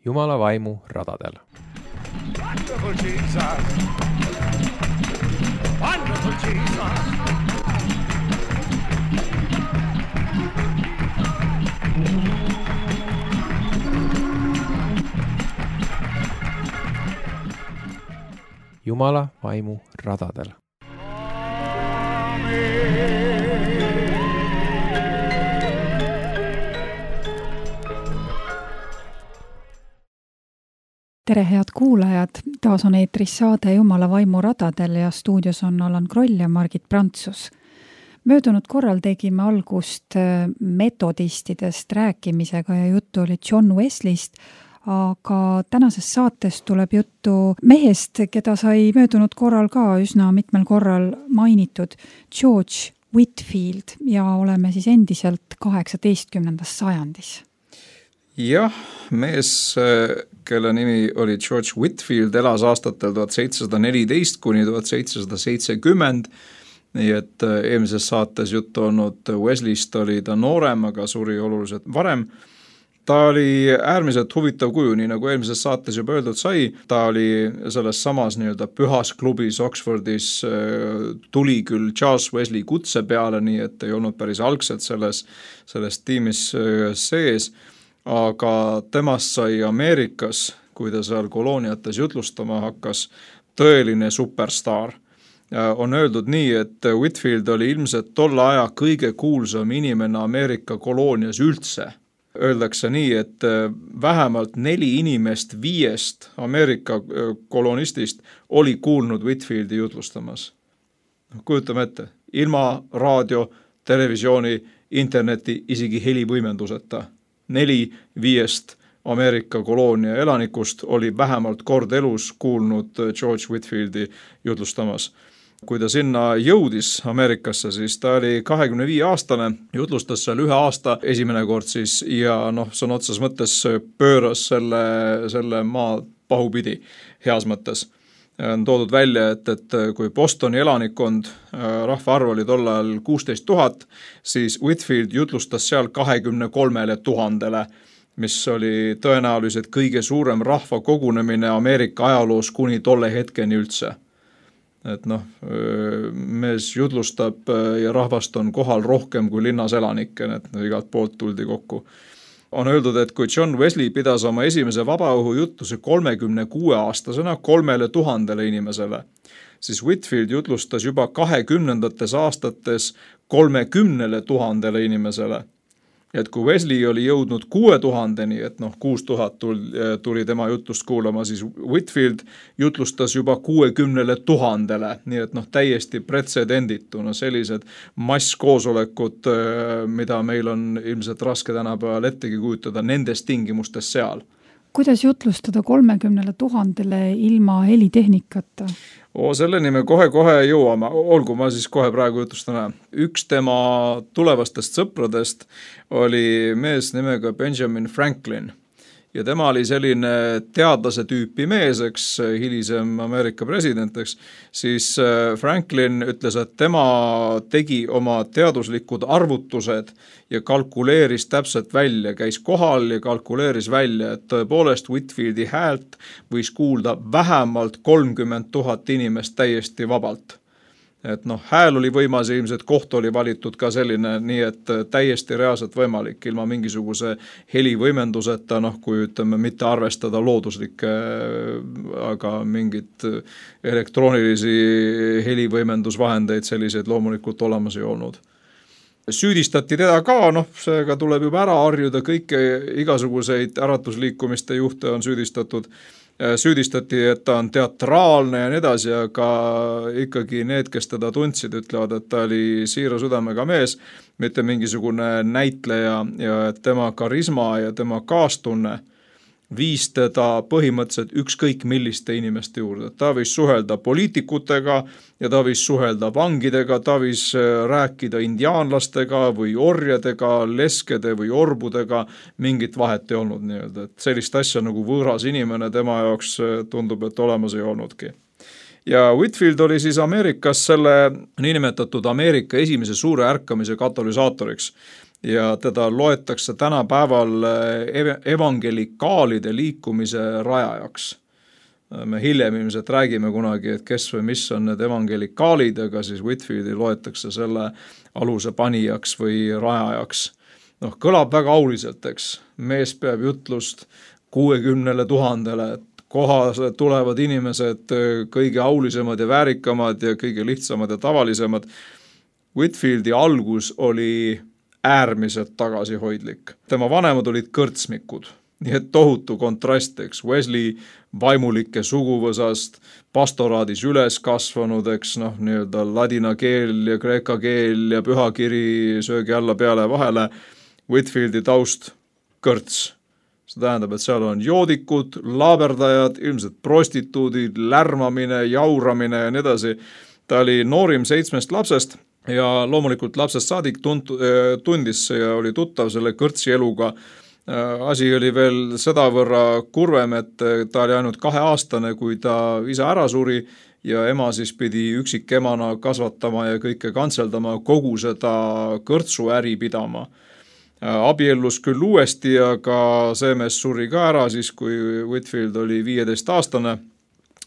Jumala vaimu radadel. Wonderful Jesus! Wonderful Jesus! Jumala vaimu radadel. Tere head kuulajad, taas on eetris saade Jumala vaimu radadel ja stuudios on Allan Kroll ja Margit Prantsus. Möödunud korral tegime algust metodistidest rääkimisega ja juttu oli John Wesleyst, aga tänases saates tuleb juttu mehest, keda sai möödunud korral ka üsna mitmel korral mainitud, George Whitefield, ja oleme siis endiselt 18. sajandis. Jah, mees, kelle nimi oli George Whitefield, elas aastatel 1714 kuni 1770, nii et eelmises saates juttu olnud Wesleyst oli ta noorem, aga suri oluliselt varem. Ta oli äärmiselt huvitav kuju, nii nagu eelmises saates juba öeldud sai, ta oli selles samas nii-öelda pühas klubis Oxfordis, tuli küll Charles Wesley kutse peale, nii et ei olnud päris algselt selles tiimis sees, aga temast sai Ameerikas, kui ta seal kolooniates jutlustama hakkas, tõeline superstaar. On öeldud nii, et Whitefield oli ilmselt tolle aja kõige kuulsam inimene Ameerika koloonias üldse. Öeldakse nii, et vähemalt 4 inimest 5 Ameerika kolonistist oli kuulnud Whitefieldi jutlustamas. Kujutame ette, ilma raadio, televisiooni, interneti, isegi helivõimenduseta. 4-5 Ameerika koloonia elanikust oli vähemalt kord elus kuulnud George Whitefieldi jutlustamas. Kui ta sinna jõudis Ameerikasse, siis ta oli 25-aastane, jutlustas seal 1 aasta esimene kord siis ja sõna otsas mõttes pööras selle maa pahupidi heas mõttes. On toodud välja, et kui Bostoni elanikkond, rahvaarv oli tol ajal 16 000, siis Whitefield jutlustas seal 23 000, mis oli tõenäoliselt kõige suurem rahva kogunemine Ameerika ajaloos kuni tolle hetkeni üldse. Et mees jutlustab ja rahvast on kohal rohkem kui linnas elanikke, et igalt poolt tuldi kokku. On öeldud, et kui John Wesley pidas oma esimese vabaõhu jutluse 36-aastasena 3000 inimesele, siis Whitefield jutlustas juba 20. aastates 30 000 inimesele. Et kui Wesley oli jõudnud 6000-ni, et 6000 tuli tema jutlust kuulama, siis Whitefield jutlustas juba 60 000, nii et täiesti pretsedenditu, sellised masskoosolekud, mida meil on ilmselt raske tänapäeval ettegi kujutada nendes tingimustes seal. Kuidas jutlustada 30 000 ilma helitehnikata? Selleni me kohe jõuame, olgu ma siis kohe praegu jutlustan. Üks tema tulevastest sõpradest oli mees nimega Benjamin Franklin. Ja tema oli selline teadlase tüüpi mees, hilisem Ameerika presidenteks, siis Franklin ütles, et tema tegi oma teaduslikud arvutused ja kalkuleeris täpselt välja, käis kohal ja kalkuleeris välja, et tõepoolest Whitefieldi häält võis kuulda vähemalt 30 000 inimest täiesti vabalt. Et hääl oli võimas ja ilmselt koht oli valitud ka selline, nii et täiesti reaalselt võimalik ilma mingisuguse helivõimenduseta, kui ütleme mitte arvestada looduslikke, aga mingit elektroonilisi helivõimendusvahendeid selliseid loomulikult olemas ei olnud. Süüdistati teda ka, seega tuleb juba ära harjuda, kõike igasuguseid äratusliikumiste juhte on süüdistati, et ta on teatraalne ja nii edasi, aga ikkagi need, kes teda tundsid, ütlevad, et ta oli siira südamega mees, mitte mingisugune näitleja ja tema karisma ja tema kaastunne viis teda põhimõtteliselt ükskõik milliste inimeste juurde. Ta võis suhelda poliitikutega ja ta võis suhelda vangidega, ta võis rääkida indiaanlastega või orjadega, leskede või orbudega, mingit vahet ei olnud nii-öelda. Et sellist asja nagu võõras inimene tema jaoks tundub, et olemas ei olnudki. Ja Whitefield oli siis Ameerikas selle niinimetatud Ameerika esimese suure ärkamise katalüsaatoriks. ja teda loetakse tänapäeval evangelikaalide liikumise rajajaks. Me hiljem ilmselt räägime kunagi, et kes või mis on need evangelikaalid, aga siis Whitefieldi loetakse selle aluse panijaks või rajajaks. Kõlab väga auliselt, eks. Mees peab jutlust 60 000, et kohale tulevad inimesed kõige aulisemad ja väärikamad ja kõige lihtsamad ja tavalisemad. Whitefieldi algus oli äärmiselt tagasihoidlik. Tema vanemad olid kõrtsmikud. Nii et tohutu kontrast, eks, Wesley vaimulike suguvõsast, pastoraadis üles kasvanud, eks, nii-öelda ladina keel ja kreeka keel ja pühakiri söögi alla peale vahele, Whitefieldi taust kõrts. See tähendab, et seal on joodikud, laaberdajad, ilmselt prostituudid, lärmamine, jauramine ja nii edasi. Ta oli noorim 7 lapsest ja loomulikult lapsest saadik tundis ja oli tuttav selle kõrtsi eluga. Asi oli veel sedavõrra kurvem, et ta oli ainult 2-aastane, kui ta isa ära suri ja ema siis pidi üksikemana kasvatama ja kõike kantseldama, kogu seda kõrtsuäri pidama. Abiellus küll uuesti, aga see mees suri ka ära siis, kui Whitefield oli 15-aastane,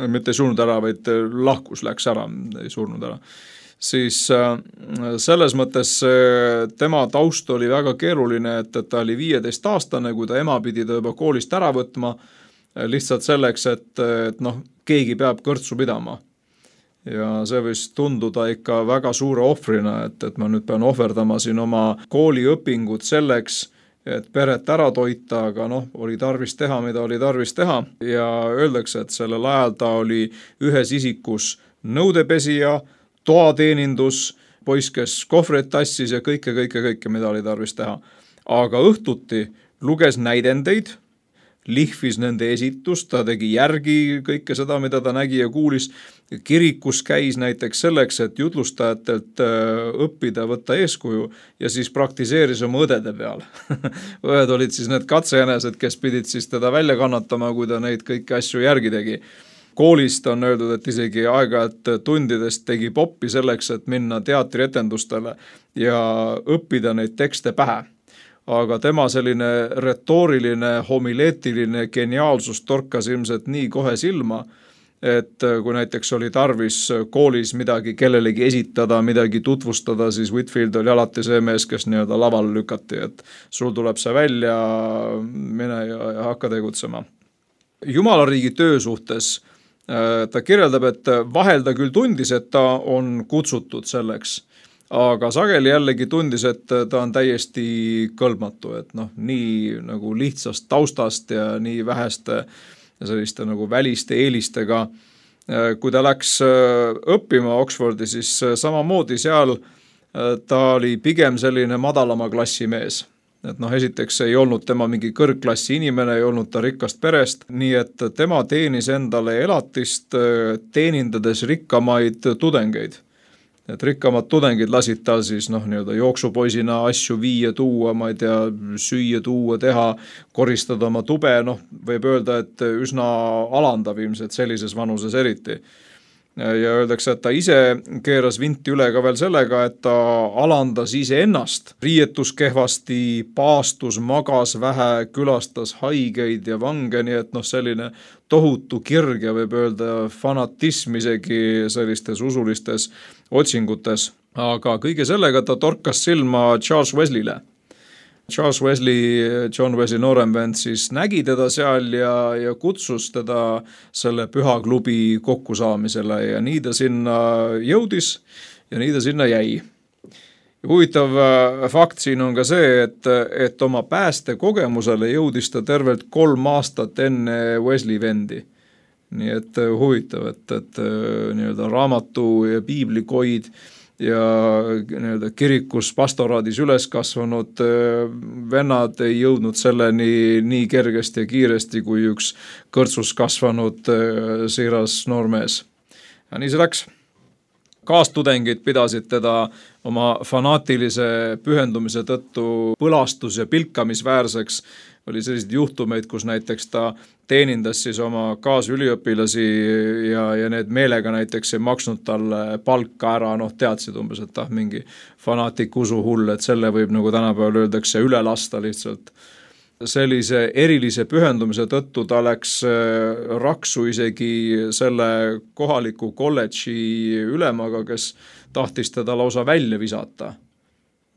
mitte ei surnud ära, vaid lahkus, läks ära, ei surnud ära. Siis selles mõttes tema taust oli väga keeruline, et ta oli 15-aastane, kui ta ema pidi ta juba koolist ära võtma, lihtsalt selleks, et keegi peab kõrtsu pidama. Ja see võis tunduda ikka väga suure ohvrina, et ma nüüd pean ohverdama siin oma kooliõpingud selleks, et peret ära toita, aga oli tarvis teha, mida oli tarvis teha. Ja öeldakse, et sellel ajal ta oli ühes isikus nõudepesija, toateenindus, poiss, kes kohvreid tassis ja kõike, mida oli tarvis teha. Aga õhtuti luges näidendeid, lihvis nende esitust, ta tegi järgi kõike seda, mida ta nägi ja kuulis. Kirikus käis näiteks selleks, et jutlustajatelt õppida, võtta eeskuju ja siis praktiseeris oma õdede peal. Õed olid siis need katsejänesed, kes pidid siis teda välja kannatama, kui ta neid kõiki asju järgi tegi. Koolist on öeldud, et isegi aeg-ajalt tundidest tegi poppi selleks, et minna teatrietendustele ja õppida neid tekste pähe. Aga tema selline retooriline, homileetiline geniaalsus torkas ilmselt nii kohe silma, et kui näiteks oli tarvis koolis midagi kellelegi esitada, midagi tutvustada, siis Whitefield oli alati see mees, kes nii-öelda laval lükati, et sul tuleb see välja, mine ja hakka tegutsema. Jumalariigi töö suhtes ta kirjeldab, et vahel ta küll tundis, et ta on kutsutud selleks, aga sageli jällegi tundis, et ta on täiesti kõlbmatu, et nii nagu lihtsast taustast ja nii väheste selliste nagu väliste eelistega. Kui ta läks õppima Oxfordi, siis samamoodi seal ta oli pigem selline madalama klassi mees. Et esiteks ei olnud tema mingi kõrgklassi inimene, ei olnud ta rikkast perest, nii et tema teenis endale elatist teenindades rikkamaid tudengeid. Et rikkamad tudengid lasid tal siis nii-öelda jooksupoisina asju viia, tuua, ma ei tea, süüa, tuua, teha, koristada oma tube, võib öelda, et üsna alandav ilmselt sellises vanuses eriti. Ja öeldakse, et ta ise keeras vinti üle ka veel sellega, et ta alandas ise ennast. Riietus kehvasti, paastus, magas vähe, külastas haigeid ja vange, nii et selline tohutu kirg ja võib öelda fanatism isegi sellistes usulistes otsingutes. Aga kõige sellega ta torkas silma Charles Wesley'le. Charles Wesley, John Wesley noorem vend, siis nägi teda seal ja kutsus teda selle pühaklubi kokkusaamisele ja nii ta sinna jõudis ja nii ta sinna jäi. Huvitav fakt siin on ka see, et oma päästekogemusele jõudis ta tervelt 3 aastat enne Wesley vendi. Nii et huvitav, et nii-öelda raamatu ja piiblikoid ja nii-öelda kirikus pastoraadis üles kasvanud vennad ei jõudnud selleni nii kergesti ja kiiresti kui üks kõrtsus kasvanud siiras noormees. Ja nii see läks. Kaastudengid pidasid teda oma fanaatilise pühendumise tõttu põlastus- ja pilkamisväärseks. oli selliseid juhtumeid, kus näiteks ta teenindas siis oma kaasüliõpilasi ja need meelega näiteks ei maksnud talle palka ära, teadsid umbes, et mingi fanaatik usuhull, et selle võib, nagu tänapäeval öeldakse, üle lasta lihtsalt. Sellise erilise pühendumise tõttu ta läks raksu isegi selle kohaliku kolledži ülemaga, kes tahtis teda lausa välja visata.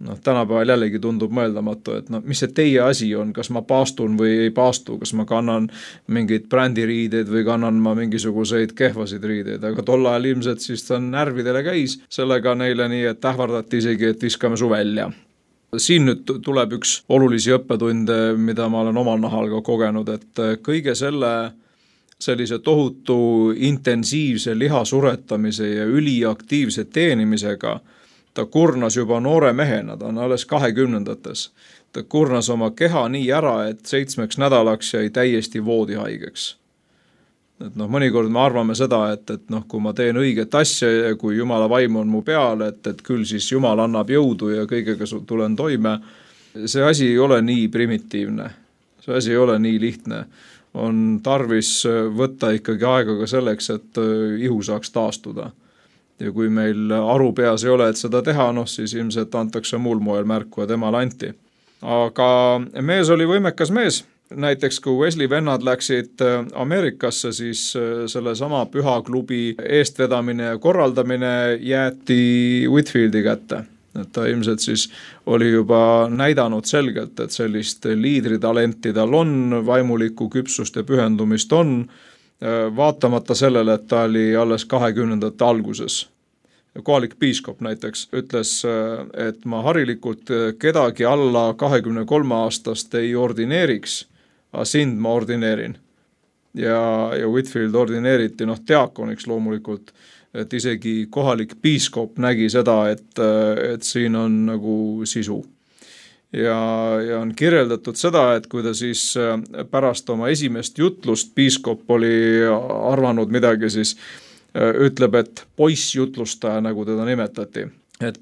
Tänapäeval jällegi tundub mõeldamatu, et mis see teie asi on, kas ma paastun või ei paastu, kas ma kannan mingeid brändiriideid või kannan ma mingisuguseid kehvasid riideid, aga tol ajal ilmselt siis ta närvidele käis sellega neile nii, et ähvardati isegi, et viskame su välja. Siin nüüd tuleb üks olulisi õppetunde, mida ma olen omal nahal ka kogenud, et kõige sellise tohutu intensiivse lihasuretamise ja üliaktiivse teenimisega ta kurnas juba noore mehena, ta on alles 20-ndates. Ta kurnas oma keha nii ära, et 7 nädalaks jäi täiesti voodihaigeks. Et mõnikord me arvame seda, et kui ma teen õiget asja ja kui Jumala vaim on mu peal, et küll siis Jumal annab jõudu ja kõigega tulen toime. See asi ei ole nii primitiivne, see asi ei ole nii lihtne. On tarvis võtta ikkagi aega ka selleks, et ihu saaks taastuda. Ja kui meil aru peas ei ole, et seda teha, siis ilmselt antakse muul moel märku ja temal anti. Aga mees oli võimekas mees. Näiteks kui Wesley vennad läksid Ameerikasse, siis selle sama pühaklubi eestvedamine ja korraldamine jäeti Whitfieldi kätte. Et ta ilmselt siis oli juba näidanud selgelt, et sellist liidritalenti tal on, vaimulikku küpsust ja pühendumist on, vaatamata sellele, et ta oli alles 20-ndate alguses. Kohalik piiskop näiteks ütles, et ma harilikult kedagi alla 23 aastast ei ordineeriks, aga sind ma ordineerin. Ja Whitfield ordineeriti diakoniks loomulikult, et isegi kohalik piiskop nägi seda, et siin on nagu sisu. Ja on kirjeldatud seda, et kui ta siis pärast oma esimest jutlust, piiskop oli arvanud midagi, siis ütleb, et poissjutlustaja, nagu teda nimetati. Et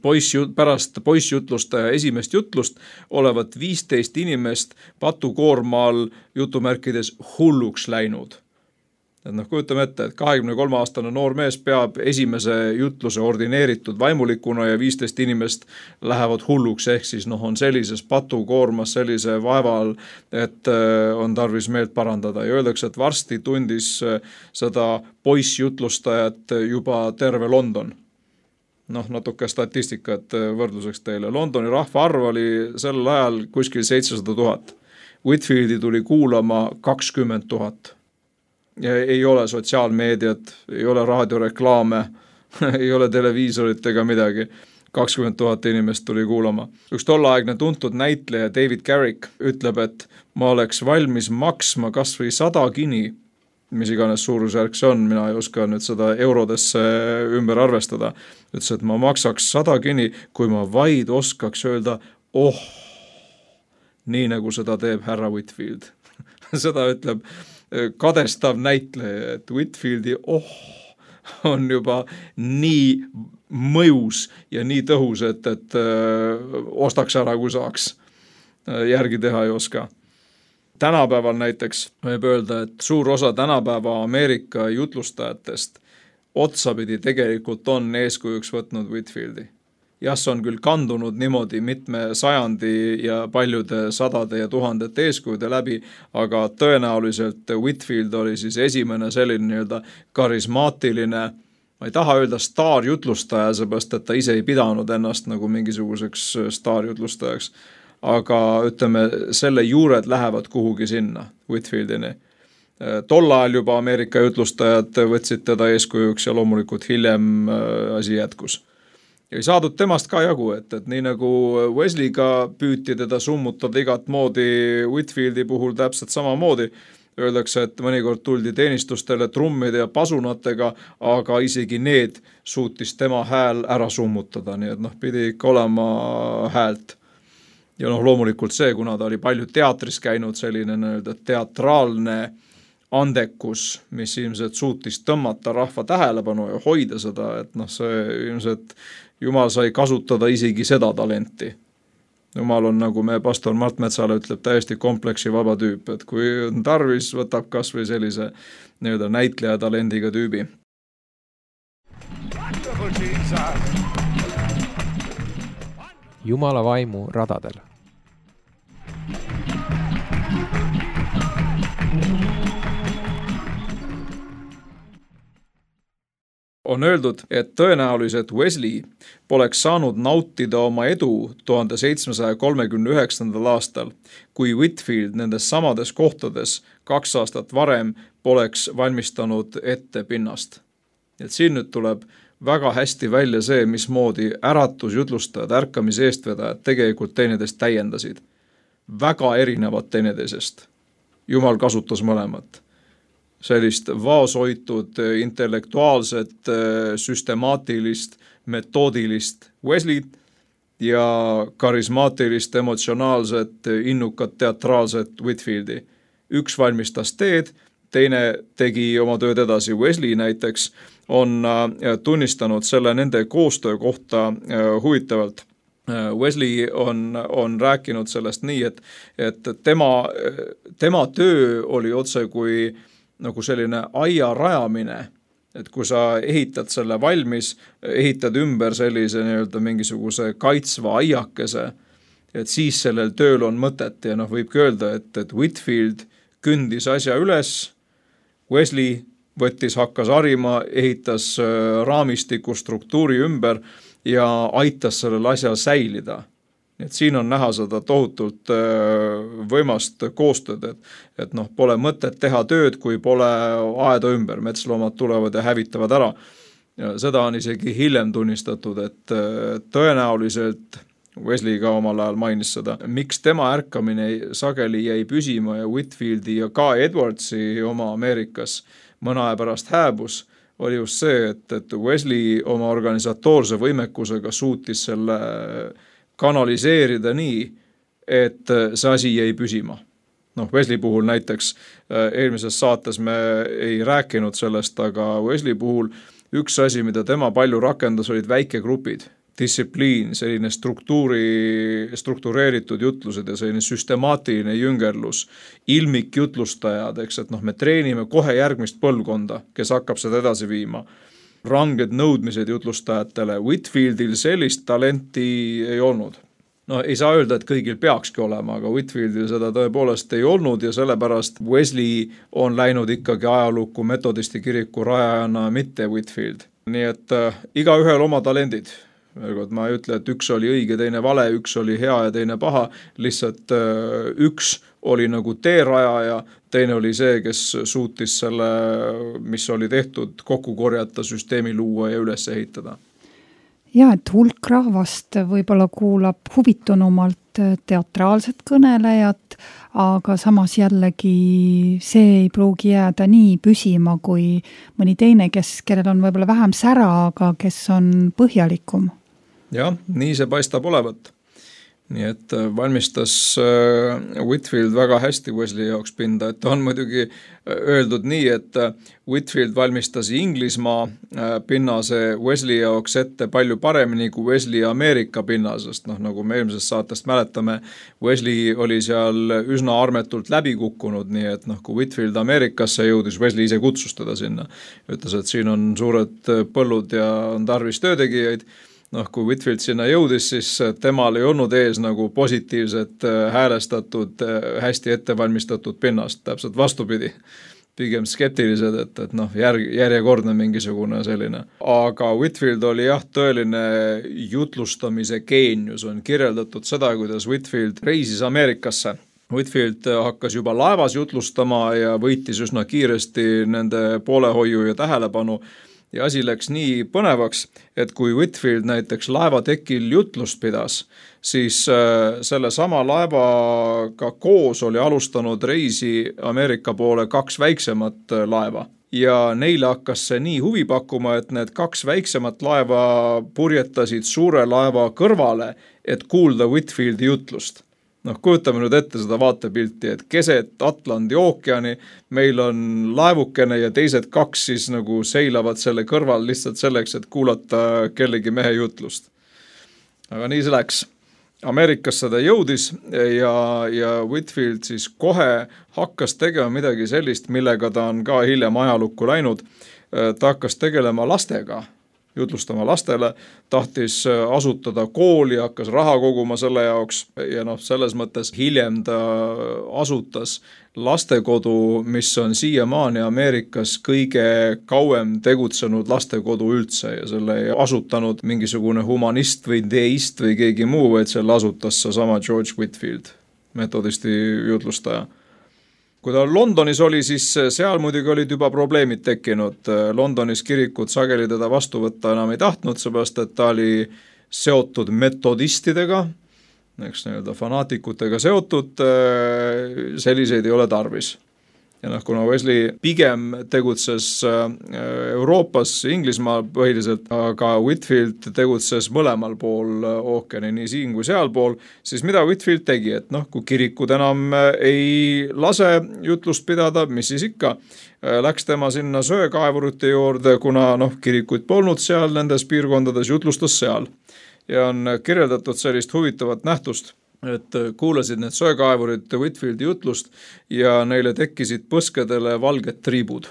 pärast poissjutlustaja esimest jutlust olevat 15 inimest patukoormaal jutumärkides hulluks läinud. Et kujutame ette, et 23-aastane noor mees peab esimese jutluse ordineeritud vaimulikuna ja 15 inimest lähevad hulluks, ehk siis on sellises patukoormas, sellise vaeval, et on tarvis meelt parandada. Ja öeldakse, et varsti tundis seda poissjutlustajat juba terve London. Natuke statistikat võrdluseks teile. Londoni rahvaarv oli sel ajal kuskil 700 000. Whitfieldi tuli kuulama 20 000. Ja ei ole sotsiaalmeediat, ei ole raadioreklaame, ei ole televiisorit ega midagi. 20 000 inimest tuli kuulama. Üks tolleaegne tuntud näitleja David Garrick ütleb, et ma oleks valmis maksma kas või 100 gini, mis iganes suurusjärk see on, mina ei oska nüüd seda eurodesse ümber arvestada. Ütles, et ma maksaks 100 gini, kui ma vaid oskaks öelda, nii nagu seda teeb härra Whitfield. Seda ütleb kadestav näitleja, et Whitfieldi on juba nii mõjus ja nii tõhus, et ostaks ära, kui saaks. Järgi teha ei oska. Tänapäeval näiteks võib öelda, et suur osa tänapäeva Ameerika jutlustajatest otsapidi tegelikult on eeskujuks võtnud Whitfieldi. Jah, see on küll kandunud niimoodi mitme sajandi ja paljude sadade ja tuhandete eeskujude läbi, aga tõenäoliselt Whitfield oli siis esimene selline nii-öelda karismaatiline, ma ei taha öelda staarjutlustaja, seepärast, et ta ise ei pidanud ennast nagu mingisuguseks staarjutlustajaks, aga ütleme, selle juured lähevad kuhugi sinna Whitfieldini. Tol ajal juba Ameerika jutlustajad võtsid teda eeskujuks ja loomulikult hiljem asi jätkus. Ja ei saadud temast ka jagu, et nii nagu Wesleyga püüti teda summutada igat moodi, Whitfieldi puhul täpselt samamoodi. Öeldakse, et mõnikord tuldi teenistustele trummide ja pasunatega, aga isegi need suutis tema hääl ära summutada, nii et pidi ikka olema häält. Ja loomulikult see, kuna ta oli palju teatris käinud, selline teatraalne andekus, mis ilmselt suutis tõmmata rahva tähelepanu ja hoida seda, et see ilmselt Jumal sai kasutada isegi seda talenti. Jumal on, nagu meie pastor Mart Metsale ütleb, täiesti kompleksi vaba tüüp, et kui on tarvis, võtab kas või sellise nii-öelda näitleja talendiga tüübi. Wonderful Jesus. Jumala vaimu radadel. On öeldud, et tõenäoliselt Wesley poleks saanud nautida oma edu 1739. aastal, kui Whitefield nendes samades kohtades 2 aastat varem poleks valmistanud ette pinnast. Et siin nüüd tuleb väga hästi välja see, mismoodi äratusjutlustajad, ärkamise eestvedajad tegelikult teineteist täiendasid. Väga erinevad teineteisest. Jumal kasutas mõlemat. Sellist vaoshoitud, intellektuaalset, süstemaatilist, metoodilist Wesleyt ja karismaatilist, emotsionaalset, innukat, teatraalset Whitefieldi. Üks valmistas teed, teine tegi oma tööd edasi. Wesley näiteks on tunnistanud selle nende koostöö kohta huvitavalt. Wesley on rääkinud sellest nii, et tema töö oli otse kui nagu selline aia rajamine, et kui sa ehitad selle valmis, ehitad ümber sellise nii-öelda mingisuguse kaitsva aiakese, et siis sellel tööl on mõtet ja võibki öelda, et Whitefield kündis asja üles, Wesley hakkas harima, ehitas raamistiku struktuuri ümber ja aitas sellel asjal säilida. Et siin on näha seda tohutult võimast koostööd, et pole mõtet teha tööd, kui pole aeda ümber, metsloomad tulevad ja hävitavad ära. Ja seda on isegi hiljem tunnistatud, et tõenäoliselt Wesley ka omal ajal mainis seda, miks tema ärkamine sageli jäi püsima ja Whitefieldi ja ka Edwardsi oma Ameerikas mõne aja pärast hääbus, oli just see, et Wesley oma organisatoorse võimekusega suutis selle kanaliseerida nii, et see asi jäi püsima. Wesley puhul näiteks eelmises saates me ei rääkinud sellest, aga Wesley puhul üks asi, mida tema palju rakendas, olid väikegrupid, distsipliin, selline struktureeritud jutlused ja selline süstemaatiline jüngerlus, ilmik jutlustajad, eks, et me treenime kohe järgmist põlvkonda, kes hakkab seda edasi viima. Ranged nõudmised jutlustajatele. Whitefieldil sellist talenti ei olnud. Ei saa öelda, et kõigil peakski olema, aga Whitefieldil seda tõepoolest ei olnud ja sellepärast Wesley on läinud ikkagi ajalukku metodisti kiriku rajajana, mitte Whitefield. Nii et igaühel oma talendid. Ma ei ütle, et üks oli õige, teine vale, üks oli hea ja teine paha, lihtsalt üks oli nagu teerajaja, teine oli see, kes suutis selle, mis oli tehtud, kokku korjata, süsteemi luua ja üles ehitada. Ja, et hulk rahvast võib-olla kuulab huvitunumalt teatraalset kõnelejat, aga samas jällegi see ei pruugi jääda nii püsima kui mõni teine, kellel on võib-olla vähem sära, aga kes on põhjalikum. Jah, nii see paistab olevat. Nii et valmistas Whitefield väga hästi Wesley jaoks pinda, et on muidugi öeldud nii, et Whitefield valmistas Inglismaa pinnase Wesley jaoks ette palju paremini kui Wesley Ameerika pinnasest. Nagu me eelmisest saatest mäletame, Wesley oli seal üsna armetult läbi kukkunud, nii et kui Whitefield Ameerikasse jõudis, Wesley ise kutsus teda sinna. Ütles, et siin on suured põllud ja on tarvis töötegijaid. Kui Whitefield sinna jõudis, siis temal ei olnud ees nagu positiivset, häälestatud, hästi ettevalmistatud pinnast, täpselt vastupidi. Pigem skeptilised, et järjekordne mingisugune selline. Aga Whitefield oli tõeline jutlustamise geenius, on kirjeldatud seda, kuidas Whitefield reisis Ameerikasse. Whitefield hakkas juba laevas jutlustama ja võitis üsna kiiresti nende poolehoiu ja tähelepanu. Ja asi läks nii põnevaks, et kui Whitefield näiteks laevatekil jutlust pidas, siis selle sama laevaga koos oli alustanud reisi Ameerika poole 2 väiksemat laeva. Ja neile hakkas see nii huvi pakkuma, et need 2 väiksemat laeva purjetasid suure laeva kõrvale, et kuulda Whitefieldi jutlust. Kujutame nüüd ette seda vaatepilti, et keset Atlandi ookeani meil on laevukene ja teised 2 siis nagu seilavad selle kõrval lihtsalt selleks, et kuulata kellegi mehe jutlust. Aga nii see läks. Ameerikasse ta jõudis ja Whitfield siis kohe hakkas tegema midagi sellist, millega ta on ka hiljem ajalukku läinud. Ta hakkas tegelema lastega, jutlustama lastele, tahtis asutada kooli, hakkas raha koguma selle jaoks ja selles mõttes hiljem ta asutas lastekodu, mis on siiamaani Ameerikas kõige kauem tegutsenud lastekodu üldse ja selle ei asutanud mingisugune humanist või deist või keegi muu, vaid selle asutas seesama George Whitfield, metodisti jutlustaja. Kui ta Londonis oli, siis seal muidugi olid juba probleemid tekkinud. Londonis kirikud sageli teda vastu võtta enam ei tahtnud, seepärast et ta oli seotud metodistidega, eks nii-öelda fanaatikutega seotud, selliseid ei ole tarvis. Ja kuna Wesley pigem tegutses Euroopas, Inglismaal põhiliselt, aga Whitfield tegutses mõlemal pool ookeani, nii siin kui sealpool, siis mida Whitfield tegi, et kui kirikud enam ei lase jutlust pidada, mis siis ikka, läks tema sinna söekaevurite juurde, kuna kirikuid polnud seal nendes piirkondades, jutlustas seal. Ja on kirjeldatud sellist huvitavat nähtust, et kuulasid need söekaevurid Whitfieldi jutlust ja neile tekkisid põskedele valged triibud.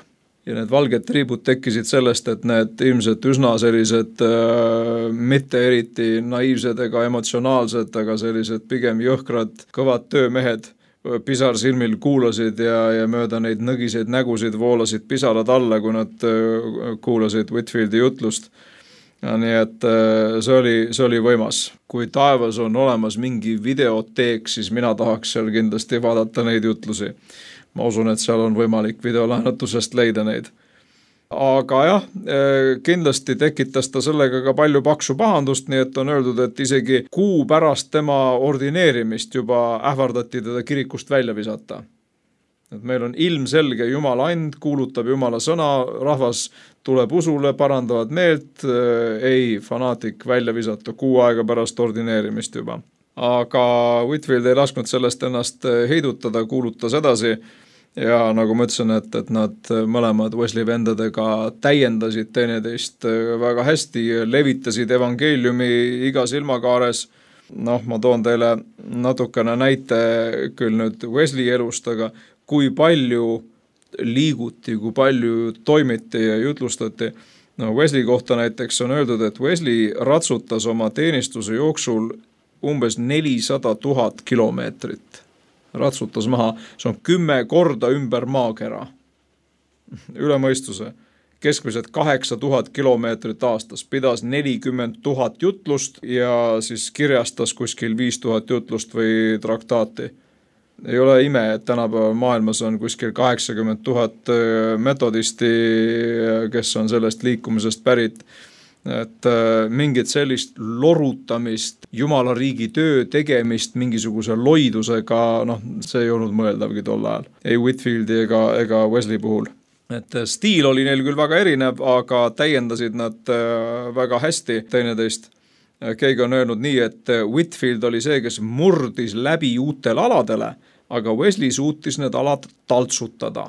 Ja need valged triibud tekkisid sellest, et need ilmselt üsna sellised mitte eriti naiivsed ega emotsionaalsed, aga sellised pigem jõhkrad, kõvad töömehed pisarsilmil kuulasid ja mööda neid nõgiseid nägusid voolasid pisarad alla, kui nad kuulasid Whitfieldi jutlust. Ja nii et see oli võimas. Kui taevas on olemas mingi videoteek, siis mina tahaks seal kindlasti vaadata neid jutlusi. Ma usun, et seal on võimalik videolaenutusest leida neid. Aga jah, kindlasti tekitas ta sellega ka palju paksu pahandust, nii et on öeldud, et isegi kuu pärast tema ordineerimist juba ähvardati teda kirikust välja visata. Et meil on ilmselge Jumala and, kuulutab Jumala sõna, rahvas tuleb usule, parandavad meelt, ei fanaatik välja visata kuu aega pärast ordineerimist juba. Aga Whitfield ei lasknud sellest ennast heidutada, kuulutas edasi ja nagu ma ütlesin, et nad mõlemad Wesley vendadega täiendasid teineteist väga hästi, levitasid evangeeliumi igas ilmakaares. Ma toon teile natukene näite küll nüüd Wesley elust, aga kui palju liiguti, kui palju toimiti ja jutlustati. Wesley kohta näiteks on öeldud, et Wesley ratsutas oma teenistuse jooksul umbes 400 000 kilomeetrit. Ratsutas maha, see on 10 korda ümber maakera. Üle mõistuse. Keskmiselt 8000 kilomeetrit aastas, pidas 40 000 jutlust ja siis kirjastas kuskil 5000 jutlust või traktaati. Ei ole ime, et tänapäeval maailmas on kuskil 80 000 metodisti, kes on sellest liikumisest pärit. Et mingit sellist lorutamist, Jumala riigi töö tegemist mingisuguse loidusega, see ei olnud mõeldavgi tol ajal. Ei Whitfieldi ega Wesley puhul. Et stiil oli neil küll väga erinev, aga täiendasid nad väga hästi teineteist. Keegi on öelnud nii, et Whitfield oli see, kes murdis läbi uutel aladele, aga Wesley suutis need alad taltsutada.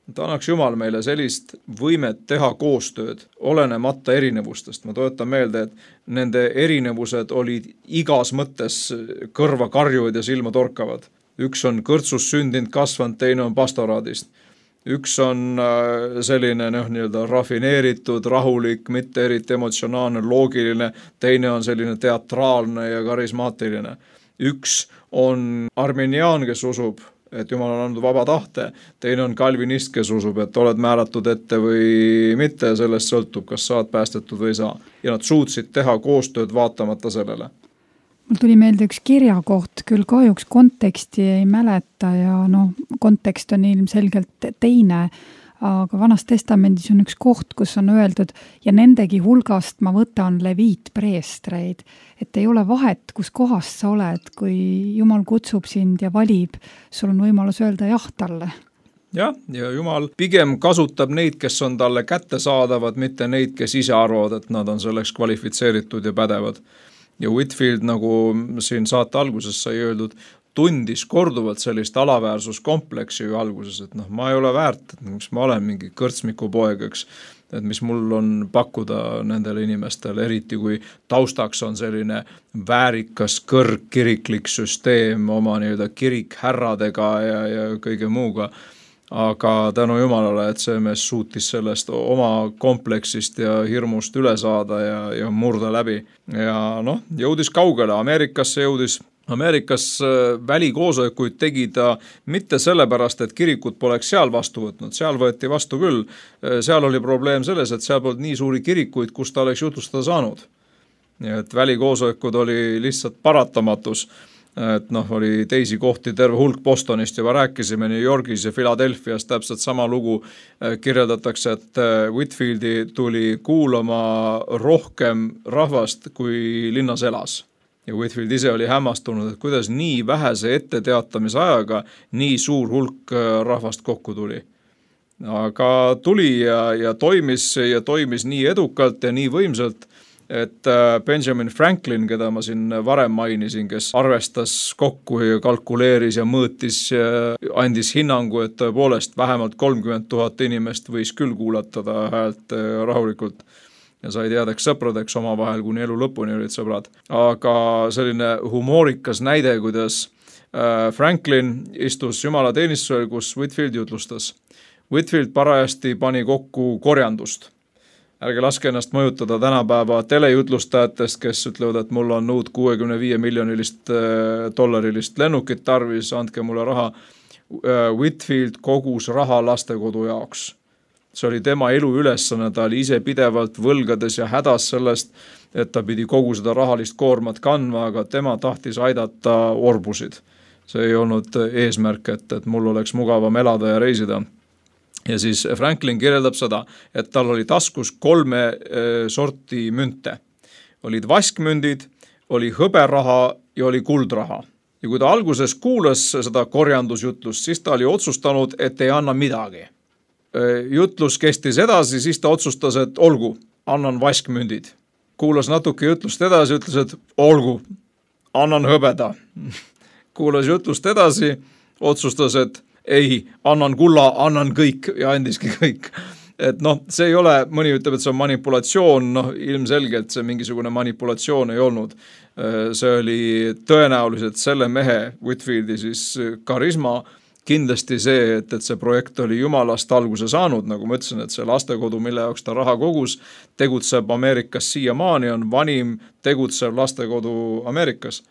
Ta annaks Jumal meile sellist võimet teha koostööd, olenemata erinevustest. Ma toetan meelde, et nende erinevused olid igas mõttes kõrva karjuvad ja silma torkavad. Üks on kõrtsus sündinud kasvanud, teine on pastoraadist. Üks on selline nii-öelda rafineeritud, rahulik, mitte eriti emotsionaalne, loogiline, teine on selline teatraalne ja karismaatiline. Üks on arminiaan, kes usub, et Jumal on andnud vaba tahte, teine on kalvinist, kes usub, et oled määratud ette või mitte, sellest sõltub, kas saad päästetud või ei saa. Ja nad suutsid teha koostööd vaatamata sellele. Mul tuli meelde üks kirjakoht, küll kahjuks konteksti ei mäleta ja kontekst on ilmselgelt teine, aga Vanas Testamendis on üks koht, kus on öeldud ja nendegi hulgast ma võtan leviitpreestreid, et ei ole vahet, kus kohast sa oled, kui Jumal kutsub sind ja valib, sul on võimalus öelda jah talle. Ja Jumal pigem kasutab neid, kes on talle kättesaadavad, mitte neid, kes ise arvavad, et nad on selleks kvalifitseeritud ja pädevad. Ja Whitfield, nagu siin saate alguses sai öeldud, tundis korduvalt sellist alaväärsuskompleksi ju alguses, et ma ei ole väärt, et miks ma olen mingi kõrtsmikupoeg, eks, et mis mul on pakkuda nendele inimestele, eriti kui taustaks on selline väärikas kõrgkiriklik süsteem oma nii-öelda kirikhärradega ja kõige muuga. Aga tänu Jumalale, et see mees suutis sellest oma kompleksist ja hirmust üle saada ja murda läbi. Ja jõudis kaugele, Ameerikasse jõudis. Ameerikas välikoosolekuid tegi ta mitte sellepärast, et kirikut poleks seal vastu võtnud, seal võeti vastu küll. Seal oli probleem selles, et seal polnud nii suuri kirikuid, kus ta oleks jutlustada saanud. Nii et välikoosolekud oli lihtsalt paratamatus. Et oli teisi kohti terve hulk Bostonist juba rääkisime, New Yorgis ja Philadelphias täpselt sama lugu kirjeldatakse, et Whitfieldi tuli kuulama rohkem rahvast kui linnas elas. Ja Whitfield ise oli hämmastunud, et kuidas nii vähese etteteatamise ajaga nii suur hulk rahvast kokku tuli. Aga tuli ja toimis nii edukalt ja nii võimsalt, et Benjamin Franklin, keda ma siin varem mainisin, kes arvestas kokku ja kalkuleeris ja mõõtis ja andis hinnangu, et tõepoolest vähemalt 30 000 inimest võis küll kuulatada häält rahulikult ja sai teadeks sõpradeks omavahel, kuni elu lõpuni olid sõbrad. Aga selline humoorikas näide, kuidas Franklin istus jumalateenistusel, kus Whitfield jutlustas. Whitfield parajasti pani kokku korjandust. Ärge laske ennast mõjutada tänapäeva telejutlustajatest, kes ütlevad, et mul on uut $65 miljonilist dollarilist lennukit tarvis, andke mulle raha. Whitfield kogus raha lastekodu jaoks. See oli tema elu ülesanne, ta oli ise pidevalt võlgades ja hädas sellest, et ta pidi kogu seda rahalist koormat kandma, aga tema tahtis aidata orbusid. See ei olnud eesmärk, et mul oleks mugavam elada ja reisida. Ja siis Franklin kirjeldab seda, et tal oli taskus 3 sorti münte. Olid vaskmündid, oli hõberaha ja oli kuldraha. Ja kui ta alguses kuulas seda korjandusjutlust, siis ta oli otsustanud, et ei anna midagi. Jutlus kestis edasi, siis ta otsustas, et olgu, annan vaskmündid. Kuulas natuke jutlust edasi, ütles, et olgu, annan hõbeda. Kuulas jutlust edasi, otsustas, et ei, annan kulla, annan kõik ja andiski kõik. Et see ei ole, mõni ütleb, et see on manipulatsioon, ilmselgelt see mingisugune manipulatsioon ei olnud. See oli tõenäoliselt selle mehe, Whitfieldi siis karisma, kindlasti see, et see projekt oli Jumalast alguse saanud, nagu ma ütlesin, et see lastekodu, mille jaoks ta raha kogus, tegutseb Ameerikas siiamaani, on vanim tegutsev lastekodu Ameerikas.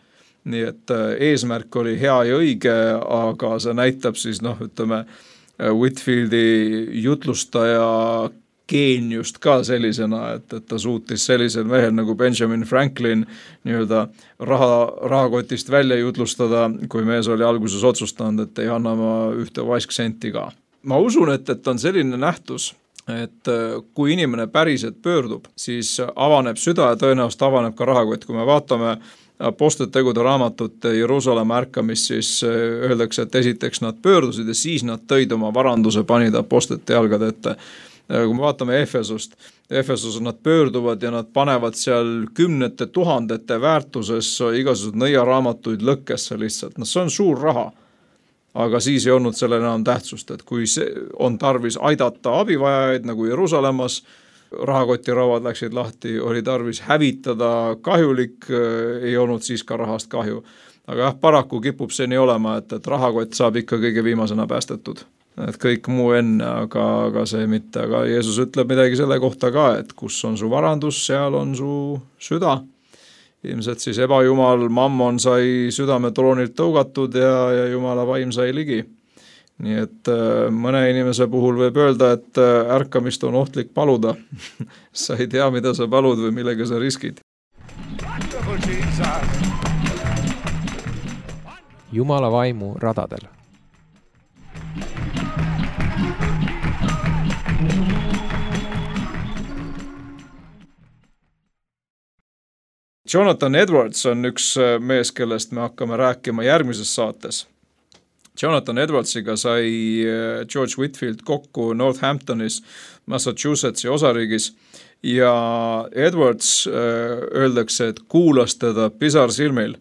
Nii et eesmärk oli hea ja õige, aga see näitab siis, ütleme, Whitfieldi jutlustaja geeniust ka sellisena, et ta suutis sellisel mehel nagu Benjamin Franklin nii-öelda rahakotist välja jutlustada, kui mees oli alguses otsustanud, et ei anna ma ühte vaisksenti ka. Ma usun, et on selline nähtus, et kui inimene päriselt pöördub, siis avaneb süda ja tõenäoliselt avaneb ka rahakott. Kui me vaatame Apostlitegude raamatut Jeruusalemma ärkamist, siis öeldakse, et esiteks nad pöördusid ja siis nad tõid oma varanduse, panid apostlite jalgade ette. Kui me vaatame Efesos nad pöörduvad ja nad panevad seal 10 000 väärtuses igasugused nõiaraamatuid lõkkesse lihtsalt. See on suur raha, aga siis ei olnud sellel enam tähtsust, et kui on tarvis aidata abivajajaid nagu Jeruusalemmas, rahakotirauad läksid lahti, oli tarvis hävitada kahjulik, ei olnud siis ka rahast kahju. Aga paraku kipub see nii olema, et rahakott saab ikka kõige viimasena päästetud. Et kõik muu enne, aga see mitte. Aga Jeesus ütleb midagi selle kohta ka, et kus on su varandus, seal on su süda. Ilmselt siis ebajumal Mammon sai südame troonilt tõugatud ja Jumala vaim sai ligi. Nii et mõne inimese puhul võib öelda, et ärkamist on ohtlik paluda. Sa ei tea, mida sa palud või millega sa riskid. Jumala vaimu radadel. Jonathan Edwards on üks mees, kellest me hakkame rääkima järgmises saates. Jonathan Edwardsiga sai George Whitfield kokku Northamptonis, Massachusettsi osariigis ja Edwards öeldakse, et kuulas teda pisarsilmil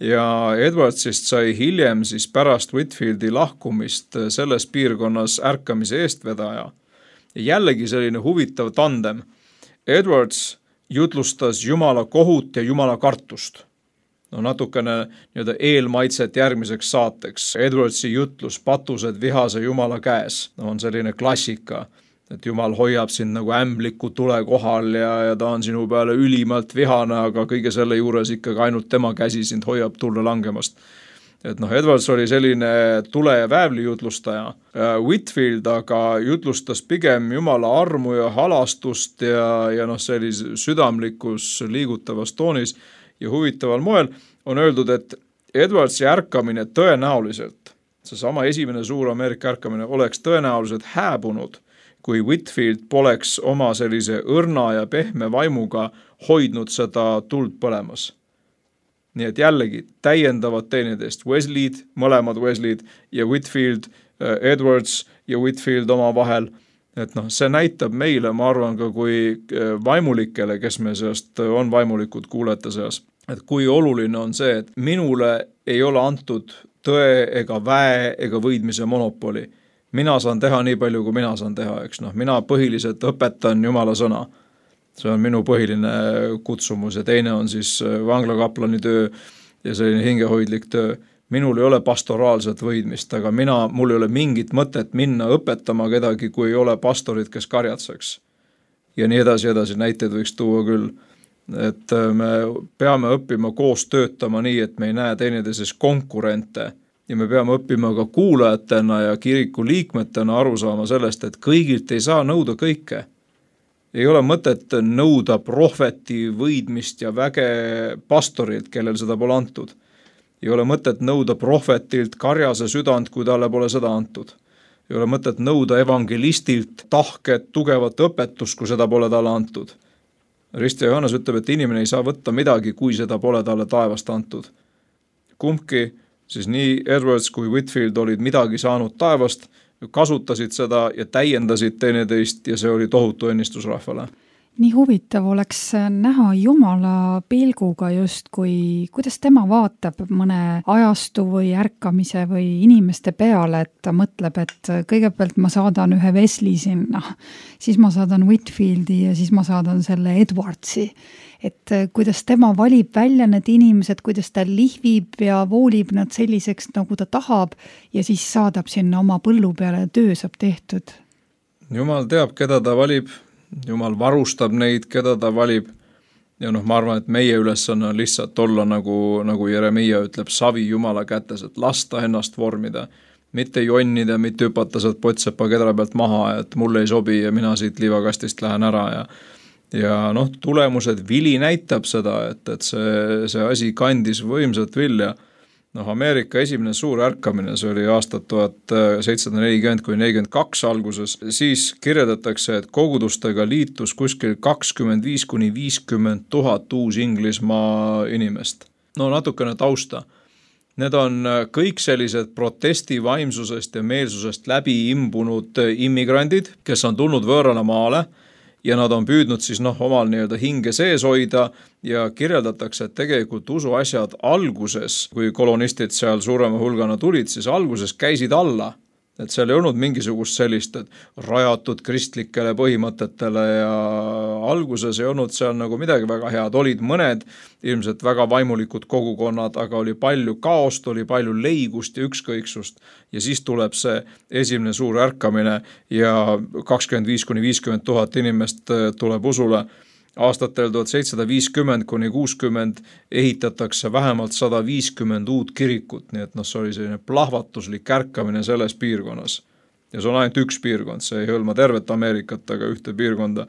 ja Edwardsist sai hiljem siis pärast Whitfieldi lahkumist selles piirkonnas ärkamise eestvedaja. Ja jällegi selline huvitav tandem. Edwards jutlustas Jumala kohut ja Jumala kartust. No natukene nii-öelda eelmaitset järgmiseks saateks. Edwardsi jutlus patused vihase Jumala käes on selline klassika, et Jumal hoiab sind nagu ämbliku tule kohal ja ta on sinu peale ülimalt vihane, aga kõige selle juures ikkagi ainult tema käsi sind hoiab tulle langemast. Et Edwards oli selline tule- ja väävli jutlustaja. Whitfield aga jutlustas pigem Jumala armu ja halastust ja sellise südamlikus liigutavas toonis ja huvitaval moel on öeldud, et Edwardsi ärkamine tõenäoliselt, seesama esimene suur Ameerika ärkamine, oleks tõenäoliselt hääbunud, kui Whitfield poleks oma sellise õrna ja pehme vaimuga hoidnud seda tuld põlemas. Nii et jällegi täiendavad teineteist Wesley'd, mõlemad Wesley'd ja Whitfield, Edwards ja Whitfield oma vahel. Et see näitab meile, ma arvan ka kui vaimulikele, kes me seast on vaimulikud kuulete seas, et kui oluline on see, et minule ei ole antud tõe ega väe ega võidmise monopoli. Mina saan teha nii palju, kui mina saan teha, eks mina põhiliselt õpetan Jumala sõna. See on minu põhiline kutsumus ja teine on siis vanglakaplani töö ja selline hingehoidlik töö. Minul ei ole pastoraalset võidmist, aga mul ei ole mingit mõtet minna õpetama kedagi, kui ei ole pastorid, kes karjatseks. Ja nii edasi näiteid võiks tuua küll. Et me peame õppima koos töötama nii, et me ei näe teineteises konkurente ja me peame õppima ka kuulajatena ja kiriku liikmetena aru saama sellest, et kõigilt ei saa nõuda kõike. Ei ole mõtet nõuda prohveti võidmist ja väge pastorilt, kellel seda pole antud. Ei ole mõtet nõuda prohvetilt karjase südant, kui talle pole seda antud. Ei ole mõtet nõuda evangelistilt tahket, tugevat õpetust, kui seda pole talle antud. Risti Johannes ütleb, et inimene ei saa võtta midagi, kui seda pole talle taevast antud. Kumbki, siis nii Edwards kui Whitfield olid midagi saanud taevast, kasutasid seda ja täiendasid teineteist ja see oli tohutu õnnistus rahvale. Nii huvitav oleks näha Jumala pilguga just, kuidas tema vaatab mõne ajastu või ärkamise või inimeste peale, et ta mõtleb, et kõigepealt ma saadan ühe Wesley sinna, siis ma saadan Whitfieldi ja siis ma saadan selle Edwardsi. Et kuidas tema valib välja need inimesed, kuidas ta lihvib ja voolib nad selliseks, nagu ta tahab ja siis saadab sinna oma põllu peale ja töö saab tehtud. Jumal teab, keda ta valib. Jumal varustab neid, keda ta valib. Ja ma arvan, et meie ülesanne on lihtsalt olla, nagu Jeremia ütleb, savi Jumala kätes, et lasta ennast vormida. Mitte jonnida, mitte hüpata sealt potsepa kedra pealt maha, et mulle ei sobi ja mina siit liivakastist lähen ära ja tulemused, vili näitab seda, et see asi kandis võimsat vilja. Ameerika esimene suur ärkamine, see oli aastat 1740–42 alguses, siis kirjeldatakse, et kogudustega liitus kuskil 25–50 000 uus Inglismaa inimest. Natukene tausta. Need on kõik sellised protestivaimsusest ja meelsusest läbi imbunud immigrandid, kes on tulnud võõrale maale ja nad on püüdnud siis omal nii-öelda hinge sees hoida ja kirjeldatakse, et tegelikult usuasjad alguses, kui kolonistid seal suurema hulgana tulid, siis alguses käisid alla. Et seal ei olnud mingisugust sellist, et rajatud kristlikele põhimõtetele ja alguses ei olnud seal nagu midagi väga head. Olid mõned ilmselt väga vaimulikud kogukonnad, aga oli palju kaost, oli palju leigust ja ükskõiksust. Ja siis tuleb see esimene suur ärkamine ja 25–50 000 inimest tuleb usule. Aastatel 1750–60 ehitatakse vähemalt 150 uut kirikut, nii et see oli selline plahvatuslik ärkamine selles piirkonnas. Ja see on ainult üks piirkond, see ei hõlma tervet Ameerikat, aga ühte piirkonda.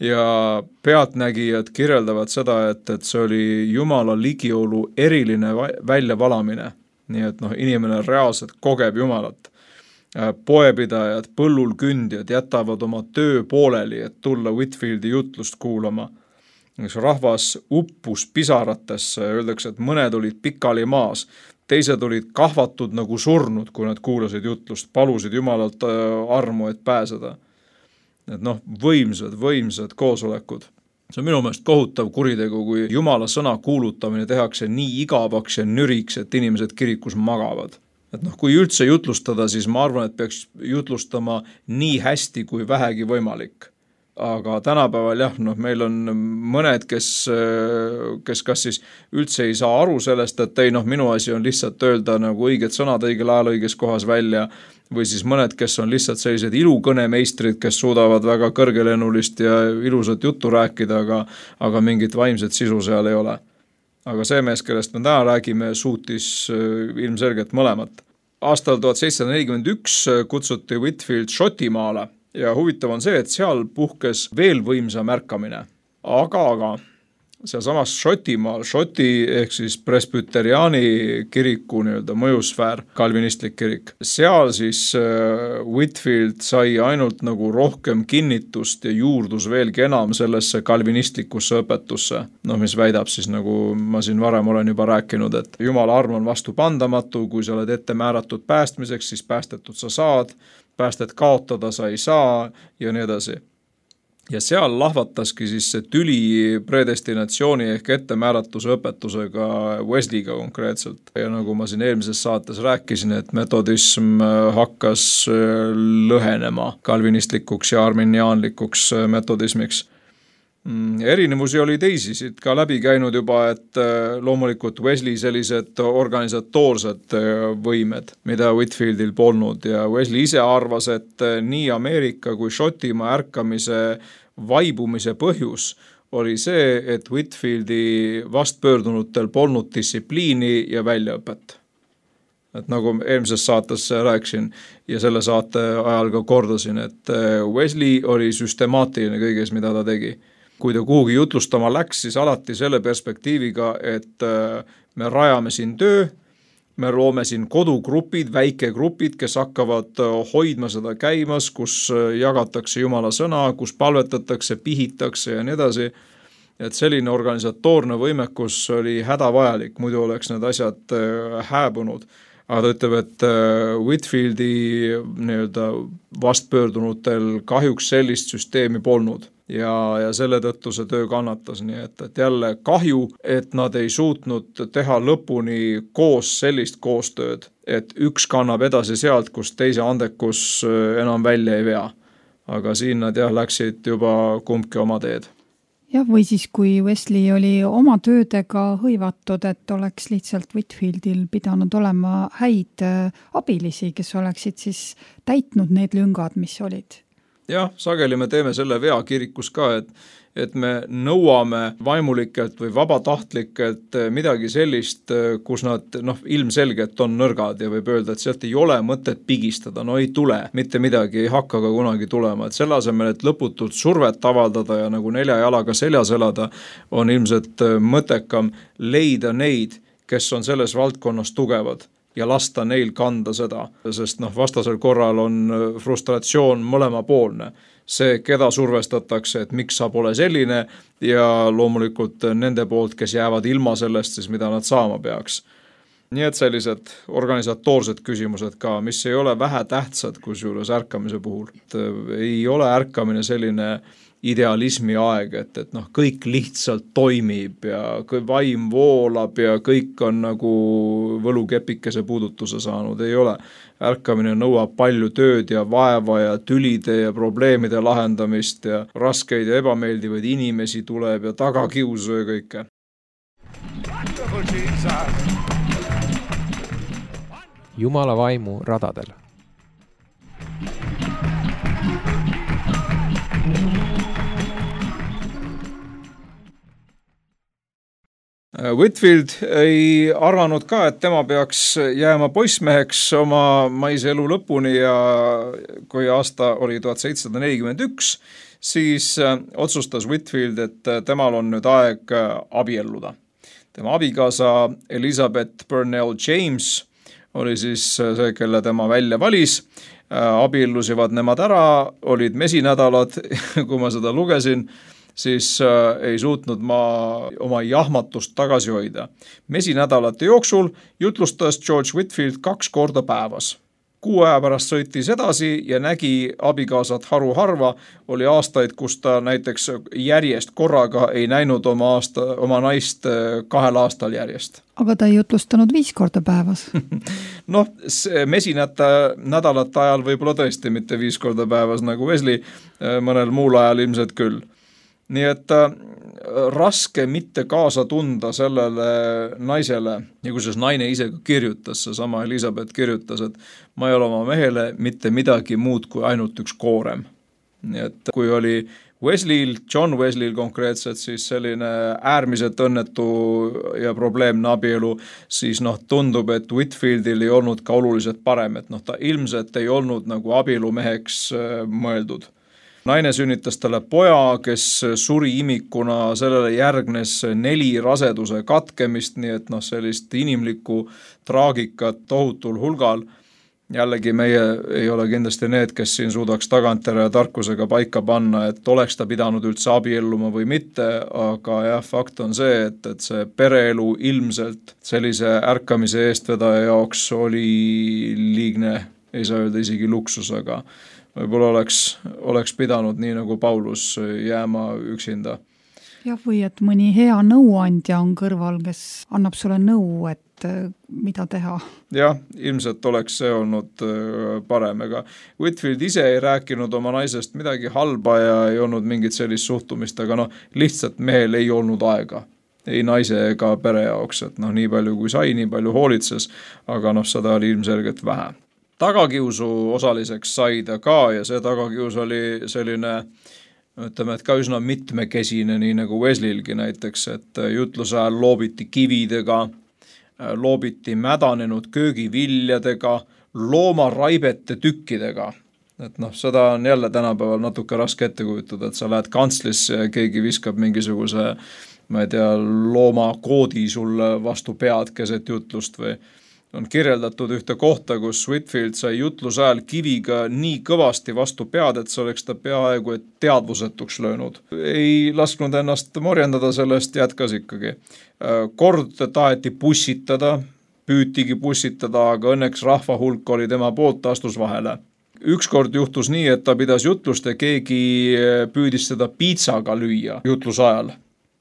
Ja pealtnägijad kirjeldavad seda, et see oli Jumala ligiolu eriline väljavalamine, nii et inimene reaalselt kogeb Jumalat. Poepidajad, põllul kündjad jätavad oma töö pooleli, et tulla Whitfieldi jutlust kuulama. Rahvas uppus pisaratesse, öeldakse, et mõned olid pikali maas, teised olid kahvatud nagu surnud, kui nad kuulasid jutlust, palusid Jumalalt armu, et pääseda. Et võimsad koosolekud. See on minu meelest kohutav kuritegu, kui Jumala sõna kuulutamine tehakse nii igavaks ja nüriks, et inimesed kirikus magavad. Et kui üldse jutlustada, siis ma arvan, et peaks jutlustama nii hästi kui vähegi võimalik. Aga tänapäeval jah, meil on mõned, kes kas siis üldse ei saa aru sellest, et minu asi on lihtsalt öelda nagu õiged sõnad õigel ajal õiges kohas välja, või siis mõned, kes on lihtsalt sellised ilukõnemeistrid, kes suudavad väga kõrgelennulist ja ilusat juttu rääkida, aga mingit vaimset sisu seal ei ole. Aga see mees, kellest me täna räägime, suutis ilmselgelt mõlemat. Aastal 1741 kutsuti Whitefield Šotimaale ja huvitav on see, et seal puhkes veel võimsam ärkamine. Aga sealsamas Šotimaal, Šoti ehk siis presbyteriaani kiriku mõjusfäär, kalvinistlik kirik, seal siis Whitefield sai ainult nagu rohkem kinnitust ja juurdus veelgi enam sellesse kalvinistlikusse õpetusse. Mis väidab siis, nagu ma siin varem olen juba rääkinud, et Jumala arm on vastupandamatu, kui sa oled ette määratud päästmiseks, siis päästetud sa saad, päästet kaotada sa ei saa ja nii edasi. Ja seal lahvataski siis see tüli predestinatsiooni ehk ettemääratuse õpetusega Wesleyga konkreetselt. Ja nagu ma siin eelmises saates rääkisin, et metodism hakkas lõhenema kalvinistlikuks ja arminiaanlikuks metodismiks. Erinevusi oli teisi, siit ka läbi käinud juba, et loomulikult Wesley sellised organisatoorsed võimed, mida Whitefieldil polnud ja Wesley ise arvas, et nii Ameerika kui Šotimaa ärkamise vaibumise põhjus oli see, et Whitefieldi vastpöördunutel polnud distsipliini ja väljaõpet. Et nagu eelmises saates rääksin ja selle saate ajal ka kordasin, et Wesley oli süstemaatiline kõiges, mida ta tegi. Kui ta kuhugi jutlustama läks, siis alati selle perspektiiviga, et me rajame siin töö, me loome siin kodugrupid, väikegrupid, kes hakkavad hoidma seda käimas, kus jagatakse Jumala sõna, kus palvetatakse, pihitakse ja nii edasi. Et selline organisatoorne võimekus oli hädavajalik, muidu oleks need asjad hääbunud. Aga ta ütleb, et Whitefieldi vastpöördunutel kahjuks sellist süsteemi polnud. Ja selle tõttu see töö kannatas, nii et jälle kahju, et nad ei suutnud teha lõpuni koos sellist koostööd, et üks kannab edasi sealt, kus teise andekus enam välja ei vea. Aga siin nad läksid juba kumbki oma teed. Jah, või siis kui Wesley oli oma töödega hõivatud, et oleks lihtsalt Whitefieldil pidanud olema häid abilisi, kes oleksid siis täitnud need lüngad, mis olid. Jah, sageli me teeme selle vea kirikus ka, et me nõuame vaimulikelt või vabatahtlikelt midagi sellist, kus nad ilmselgelt on nõrgad ja võib öelda, et sealt ei ole mõtet pigistada, ei tule, mitte midagi ei hakka ka kunagi tulema, et selle asemel, et lõputult survet avaldada ja nagu 4 jalaga seljas elada, on ilmselt mõttekam leida neid, kes on selles valdkonnas tugevad ja lasta neil kanda seda, sest vastasel korral on frustratsioon mõlemapoolne. See, keda survestatakse, et miks sa pole selline ja loomulikult nende poolt, kes jäävad ilma sellest, siis mida nad saama peaks. Nii et sellised organisatoorsed küsimused ka, mis ei ole vähe tähtsad kusjuures ärkamise puhul. Ei ole ärkamine selline idealismi aeg, et kõik lihtsalt toimib ja vaim voolab ja kõik on nagu võlukepikese puudutuse saanud, ei ole. Ärkamine nõuab palju tööd ja vaeva ja tülide ja probleemide lahendamist ja raskeid ja ebameeldivaid inimesi tuleb ja tagakiusu ja kõike. Jumala vaimu radadel. Whitefield ei arvanud ka, et tema peaks jääma poissmeheks oma maise elu lõpuni ja kui aasta oli 1741, siis otsustas Whitefield, et temal on nüüd aeg abielluda. Tema abikaasa Elizabeth Burnell James oli siis see, kelle tema välja valis. Abiellusivad nemad ära, olid mesinädalad, kui ma seda lugesin, siis ei suutnud ma oma jahmatust tagasi hoida. Mesinädalate jooksul jutlustas George Whitefield 2 korda päevas. kuu aja pärast sõitis edasi ja nägi abikaasat haruharva, oli aastaid, kus ta näiteks järjest korraga ei näinud oma naist 2 aastal järjest. Aga ta ei jutlustanud 5 korda päevas. Noh, mesinate nädalate ajal võib-olla tõesti mitte 5 korda päevas nagu Wesley, mõnel muul ajal ilmselt küll. Nii et raske mitte kaasa tunda sellele naisele, ja kusjuures naine ise kirjutas, seesama Elizabeth kirjutas, et ma ei ole oma mehele mitte midagi muud kui ainult üks koorem. Nii et kui oli Wesley'l, John Wesley'l konkreetselt siis selline äärmiselt õnnetu ja probleemne abielu, siis tundub, et Whitfieldil ei olnud ka oluliselt parem, et ta ilmselt ei olnud nagu abielumeheks mõeldud. Naine sünnitas talle poja, kes suri imikuna, sellele järgnes 4 raseduse katkemist, nii et sellist inimlikku traagikat tohutul hulgal. Jällegi meie ei ole kindlasti need, kes siin suudaks tagantjärele tarkusega paika panna, et oleks ta pidanud üldse abielluma või mitte, aga jah, fakt on see, et see pereelu ilmselt sellise ärkamise eestvedaja jaoks oli liigne, ei saa öelda isegi luksus, aga võib-olla oleks pidanud nii nagu Paulus jääma üksinda. Jah, või et mõni hea nõuandja on kõrval, kes annab sulle nõu, et mida teha. Jah, ilmselt oleks see olnud parem, ega Whitfield ise ei rääkinud oma naisest midagi halba ja ei olnud mingit sellist suhtumist, aga lihtsalt mehel ei olnud aega. Ei naise ega pere jaoks, et nii palju kui sai, nii palju hoolitses, aga seda oli ilmselgelt vähe. Tagakiusu osaliseks sai ta ka ja see tagakius oli selline, ütleme, et ka üsna mitmekesine, nii nagu Wesley'lgi näiteks, et jutluse ajal loobiti kividega, loobiti mädanenud köögiviljadega, loomaraibete tükkidega. Et seda on jälle tänapäeval natuke raske ette kujutada, et sa lähed kantslisse ja keegi viskab mingisuguse, ma ei tea, loomakoodi sulle vastu pead keset jutlust või on kirjeldatud ühte kohta, kus Whitfield sai jutluse ajal kiviga nii kõvasti vastu pead, et see oleks ta peaaegu et teadvusetuks löönud. Ei lasknud ennast morjendada sellest, jätkas ikkagi. Kord taheti pussitada, püütigi pussitada, aga õnneks rahva hulk oli tema poolt, astus vahele. Ükskord juhtus nii, et ta pidas jutlust ja keegi püüdis seda piitsaga lüüa jutluse ajal.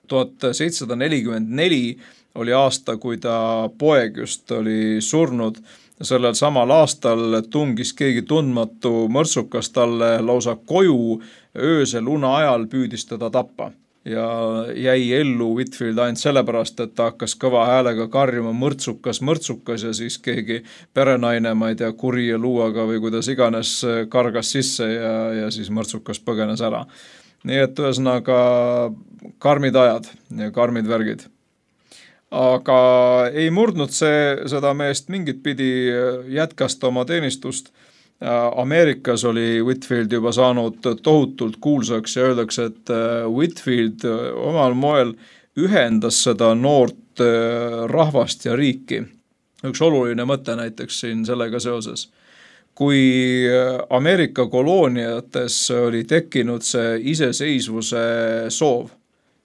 1744 oli aasta, kui ta poeg just oli surnud. Sellel samal aastal tungis keegi tundmatu mõrtsukas talle lausa koju öösel une ajal püüdis teda tappa. Ja jäi ellu Whitfield ainult sellepärast, et ta hakkas kõva häälega karjuma mõrtsukas ja siis keegi perenaine, ma ei tea, kuri ja luuaga või kuidas iganes kargas sisse ja siis mõrtsukas põgenes ära. Nii et ühesõnaga karmid ajad ja karmid värgid. Aga ei murdnud seda meest mingit pidi, jätkas ta oma teenistust. Ameerikas oli Whitfield juba saanud tohutult kuulsaks ja öeldakse, et Whitfield omal moel ühendas seda noort rahvast ja riiki. Üks oluline mõte näiteks siin sellega seoses. Kui Ameerika kolooniates oli tekkinud see iseseisvuse soov,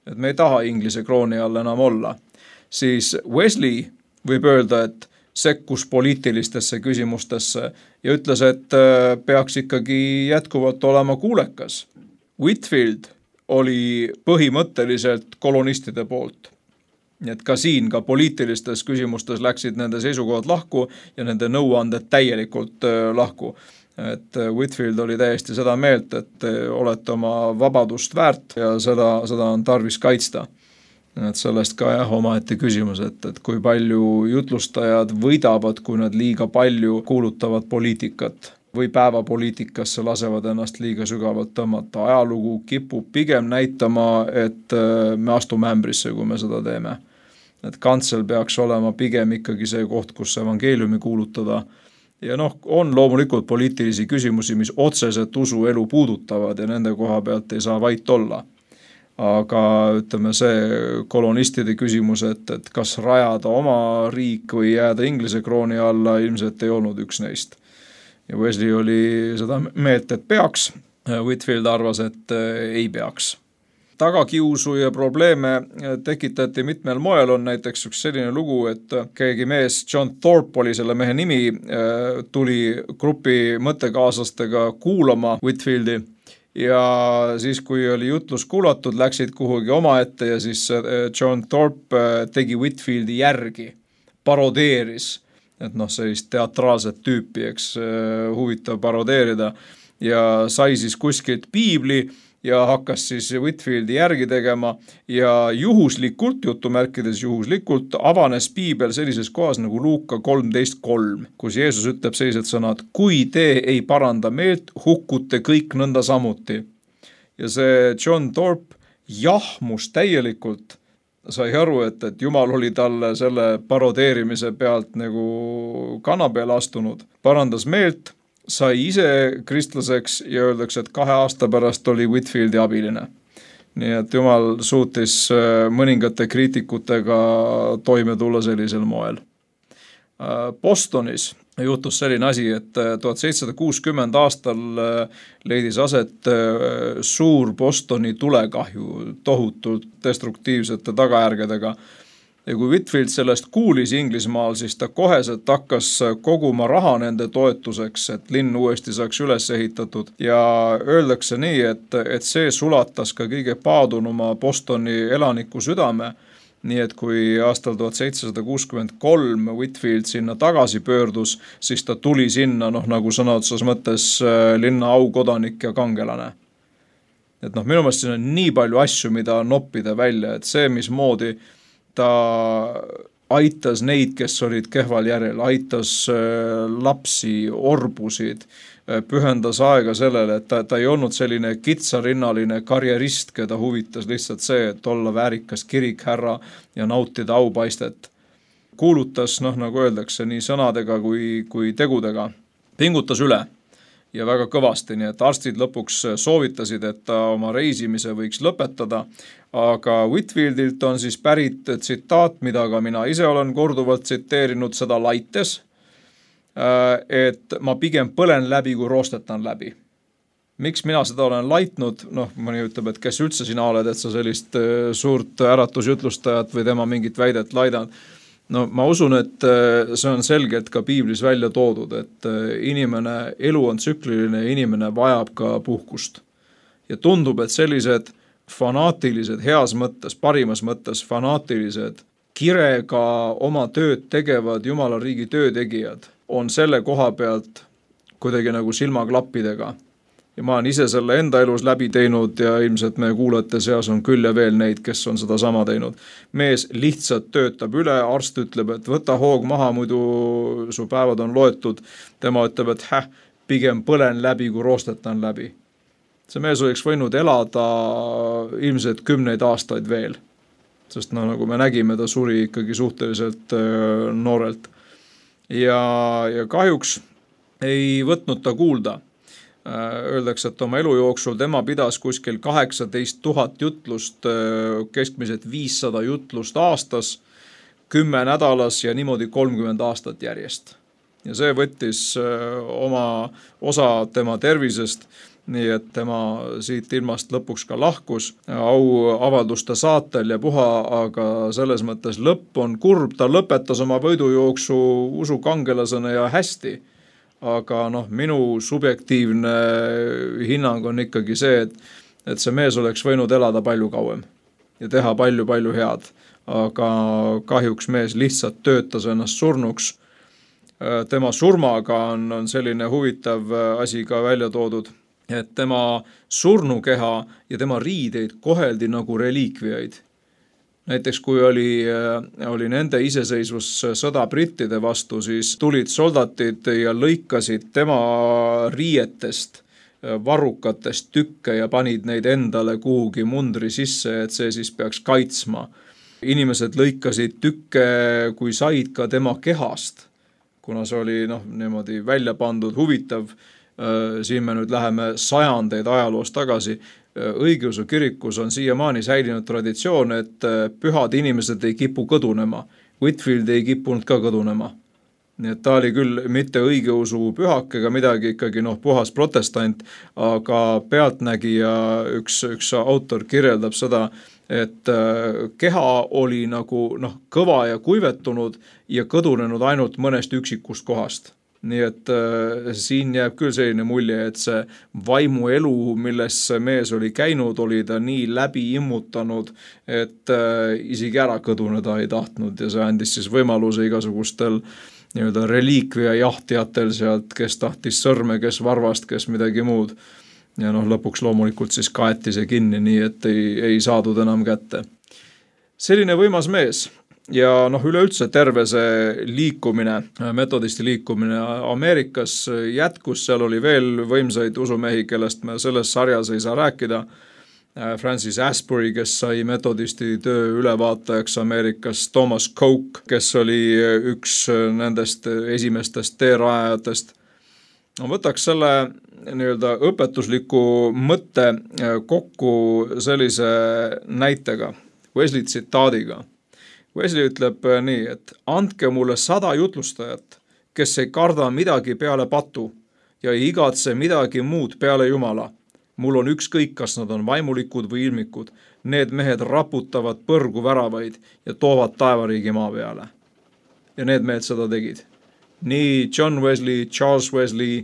et me ei taha Inglise krooni all enam olla, siis Wesley võib öelda, et sekkus poliitilistesse küsimustesse ja ütles, et peaks ikkagi jätkuvalt olema kuulekas. Whitfield oli põhimõtteliselt kolonistide poolt. Nii et ka siin, ka poliitilistes küsimustes läksid nende seisukohad lahku ja nende nõuanded täielikult lahku. Et Whitfield oli täiesti seda meelt, et olete oma vabadust väärt ja seda on tarvis kaitsta. Et sellest ka omaette küsimus, et kui palju jutlustajad võidavad, kui nad liiga palju kuulutavad poliitikat või päevapoliitikasse lasevad ennast liiga sügavalt tõmmata. Ajalugu kipub pigem näitama, et me astume ämbrisse, kui me seda teeme. Et kantsel peaks olema pigem ikkagi see koht, kus evangeeliumi kuulutada. Ja on loomulikult poliitilisi küsimusi, mis otseselt usuelu puudutavad ja nende koha pealt ei saa vait olla. Aga ütleme see kolonistide küsimus, et kas rajada oma riik või jääda Inglise krooni alla, ilmselt ei olnud üks neist. Ja Wesley oli seda meelt, et peaks. Whitfield arvas, et ei peaks. tagakiusu ja probleeme tekitati mitmel moel. On näiteks üks selline lugu, et keegi mees, John Thorpe oli selle mehe nimi, tuli grupi mõttekaaslastega kuulama Whitefieldi ja siis, kui oli jutlus kuulatud, läksid kuhugi omaette ja siis John Thorpe tegi Whitefieldi järgi, parodeeris, et sellist teatraalset tüüpi, eks huvitav parodeerida ja sai siis kuskilt piibli ja hakkas siis Whitefieldi järgi tegema ja juhuslikult, jutumärkides juhuslikult, avanes piibel sellises kohas nagu Luuka 13.3, kus Jeesus ütleb sellised sõnad: kui te ei paranda meelt, hukkute kõik nõnda samuti. Ja see John Thorpe jahmus täielikult, sai aru, et Jumal oli talle selle parodeerimise pealt nagu kana peale astunud, parandas meelt, sai ise kristlaseks ja öeldakse, et 2 aasta pärast oli Whitefieldi abiline. Nii et Jumal suutis mõningate kriitikutega toime tulla sellisel moel. Bostonis juhtus selline asi, et 1760 aastal leidis aset suur Bostoni tulekahju tohutult destruktiivsete tagajärgedega. Ja kui Whitefield sellest kuulis Inglismaal, siis ta koheselt hakkas koguma raha nende toetuseks, et linn uuesti saaks üles ehitatud. Ja öeldakse nii, et see sulatas ka kõige paadunuma Bostoni elaniku südame. Nii et kui aastal 1763 Whitefield sinna tagasi pöördus, siis ta tuli sinna nagu sõna otsas mõttes linna aukodanik ja kangelane. Et minu meelest siin on nii palju asju, mida noppida välja, et see, mismoodi ta aitas neid, kes olid kehval järel, aitas lapsi, orbusid, pühendas aega sellele, et ta ei olnud selline kitsarinnaline karjerist, keda huvitas lihtsalt see, et olla väärikas kirikhärra ja nautida aupaistet. Kuulutas, nagu öeldakse, nii sõnadega kui tegudega, pingutas üle ja väga kõvasti, nii et arstid lõpuks soovitasid, et ta oma reisimise võiks lõpetada, aga Whitefieldilt on siis pärit tsitaat, mida ka mina ise olen korduvalt tsiteerinud, seda laites, et ma pigem põlen läbi, kui roostetan läbi. Miks mina seda olen laitnud? Mõni ütleb, et kes üldse sina oled, et sa sellist suurt äratusjutlustajat või tema mingit väidet laidan. Ma usun, et see on selgelt ka piiblis välja toodud, et elu on tsükliline ja inimene vajab ka puhkust. Ja tundub, et sellised fanaatilised, heas mõttes, parimas mõttes fanaatilised, kirega oma tööd tegevad Jumala riigi töötegijad on selle koha pealt kuidagi nagu silmaklappidega. Ja ma olen ise selle enda elus läbi teinud ja ilmselt meie kuulajate seas on küll ja veel neid, kes on seda sama teinud. Mees lihtsalt töötab üle, arst ütleb, et võta hoog maha, muidu su päevad on loetud. Tema ütleb, et pigem põlen läbi, kui roostetan läbi. See mees oleks võinud elada ilmselt 10 aastaid veel, sest nagu me nägime, ta suri ikkagi suhteliselt noorelt. Ja kahjuks ei võtnud ta kuulda. Öeldakse, et oma elu jooksul tema pidas kuskil 18 000 jutlust, keskmiselt 500 jutlust aastas, 10 nädalas ja niimoodi 30 aastat järjest. Ja see võttis oma osa tema tervisest, nii et tema siit ilmast lõpuks ka lahkus auavalduste saatel ja puha, aga selles mõttes lõpp on kurb, ta lõpetas oma võidujooksu usukangelasena ja hästi. Aga minu subjektiivne hinnang on ikkagi see, et see mees oleks võinud elada palju kauem ja teha palju head. Aga kahjuks mees lihtsalt töötas ennast surnuks. Tema surmaga on selline huvitav asi ka välja toodud, et tema surnukeha ja tema riideid koheldi nagu reliikviaid. Näiteks kui oli nende iseseisvussõda brittide vastu, siis tulid soldatid ja lõikasid tema riietest, varrukatest tükke ja panid neid endale kuhugi mundri sisse, et see siis peaks kaitsma. Inimesed lõikasid tükke, kui said ka tema kehast, kuna see oli niimoodi välja pandud, huvitav. Siin me nüüd läheme sajandeid ajaloos tagasi. Õigeusu kirikus on siiamaani säilinud traditsioon, et pühad inimesed ei kipu kõdunema. Whitefield ei kippunud ka kõdunema. nii et ta oli küll mitte õigeusu pühak ega midagi, ikkagi puhas protestant, aga pealtnägija üks autor kirjeldab seda, et keha oli nagu kõva ja kuivetunud ja kõdunenud ainult mõnest üksikust kohast. Nii et siin jääb küll selline mulje, et see vaimuelu, milles see mees oli käinud, oli ta nii läbi immutanud, et isegi ära kõduneda ei tahtnud ja see andis siis võimaluse igasugustel nii-öelda reliikvia jahtijatel sealt, kes tahtis sõrme, kes varvast, kes midagi muud. Ja lõpuks loomulikult siis kaeti see kinni, nii et ei saadud enam kätte. Selline võimas mees. Ja üleüldse terve see liikumine, metodisti liikumine Ameerikas jätkus, seal oli veel võimsaid usumehi, kellest me selles sarjas ei saa rääkida. Francis Asbury, kes sai metodisti töö ülevaatajaks Ameerikas, Thomas Coke, kes oli üks nendest esimestest teerajajatest. Võtaks selle nii-öelda õpetusliku mõtte kokku sellise näitega, Wesley tsitaadiga. Wesley ütleb nii, et andke mulle 100 jutlustajat, kes ei karda midagi peale patu ja ei igatse midagi muud peale Jumala. Mul on ükskõik, kas nad on vaimulikud või ilmikud. Need mehed raputavad põrgu väravaid ja toovad taevariigi maa peale. Ja need mehed seda tegid. Nii John Wesley, Charles Wesley,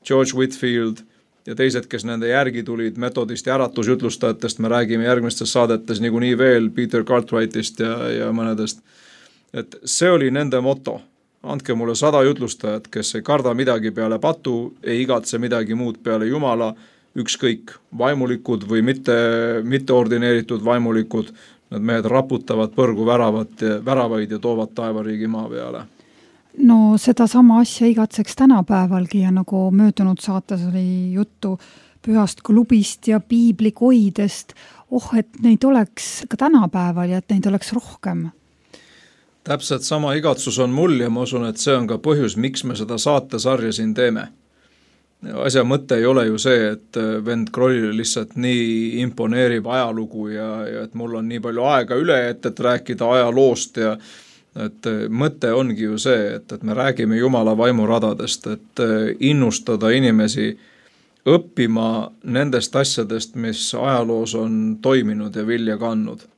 George Whitfield ja teised, kes nende järgi tulid metodisti äratusjutlustajatest, me räägime järgmistes saadetes niikuinii veel Peter Cartwrightist ja mõnedest. Et see oli nende moto. Andke mulle 100 jutlustajat, kes ei karda midagi peale patu, ei igatse midagi muud peale Jumala, ükskõik vaimulikud või mitte ordineeritud vaimulikud, need mehed raputavad põrgu väravaid ja toovad taevariigi maa peale. No seda sama asja igatseks tänapäevalgi ja nagu möödunud saates oli juttu pühast klubist ja piiblikoidest, et neid oleks ka tänapäeval ja et neid oleks rohkem. Täpselt sama igatsus on mul ja ma usun, et see on ka põhjus, miks me seda saatesarja siin teeme. Asja mõte ei ole ju see, et vend Krollile lihtsalt nii imponeerib ajalugu ja et mul on nii palju aega üle, et rääkida ajaloost ja et mõte ongi ju see, et me räägime Jumala vaimuradadest, et innustada inimesi õppima nendest asjadest, mis ajaloos on toiminud ja vilja kandnud.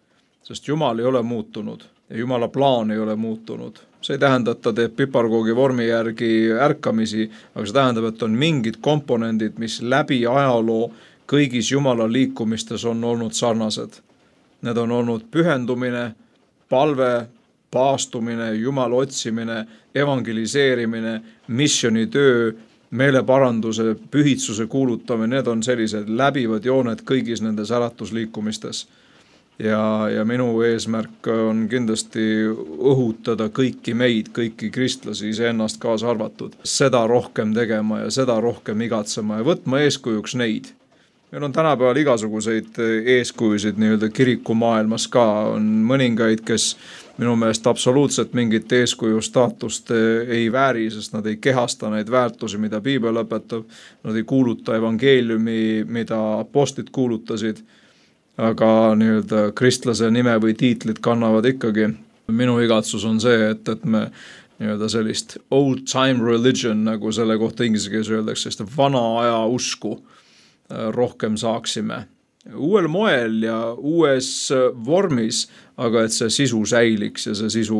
Sest Jumal ei ole muutunud ja Jumala plaan ei ole muutunud. See ei tähenda, et ta teeb piparkoogi vormi järgi ärkamisi, aga see tähendab, et on mingid komponendid, mis läbi ajaloo kõigis Jumala liikumistes on olnud sarnased. Need on olnud pühendumine, palve, paastumine, Jumala otsimine, evangeliseerimine, missionitöö, meeleparanduse, pühitsuse kuulutamine, need on sellised läbivad jooned kõigis nendes äratusliikumistes. Ja minu eesmärk on kindlasti õhutada kõiki meid, kõiki kristlasi, iseennast kaasa arvatud, seda rohkem tegema ja seda rohkem igatsema ja võtma eeskujuks neid. Meil on tänapäeval igasuguseid eeskujusid nii-öelda kirikumaailmas ka, on mõningaid, kes minu meelest absoluutselt mingit eeskuju staatust ei vääri, sest nad ei kehasta neid väärtusi, mida Piibel õpetab, nad ei kuuluta evangeeliumi, mida apostlid kuulutasid, aga nii-öelda kristlase nime või tiitlit kannavad ikkagi. Minu igatsus on see, et me nii-öelda sellist old time religion, nagu selle kohta inglise keeles öeldakse, sest vana aja usku rohkem saaksime. Uuel moel ja uues vormis, aga et see sisu säiliks ja see sisu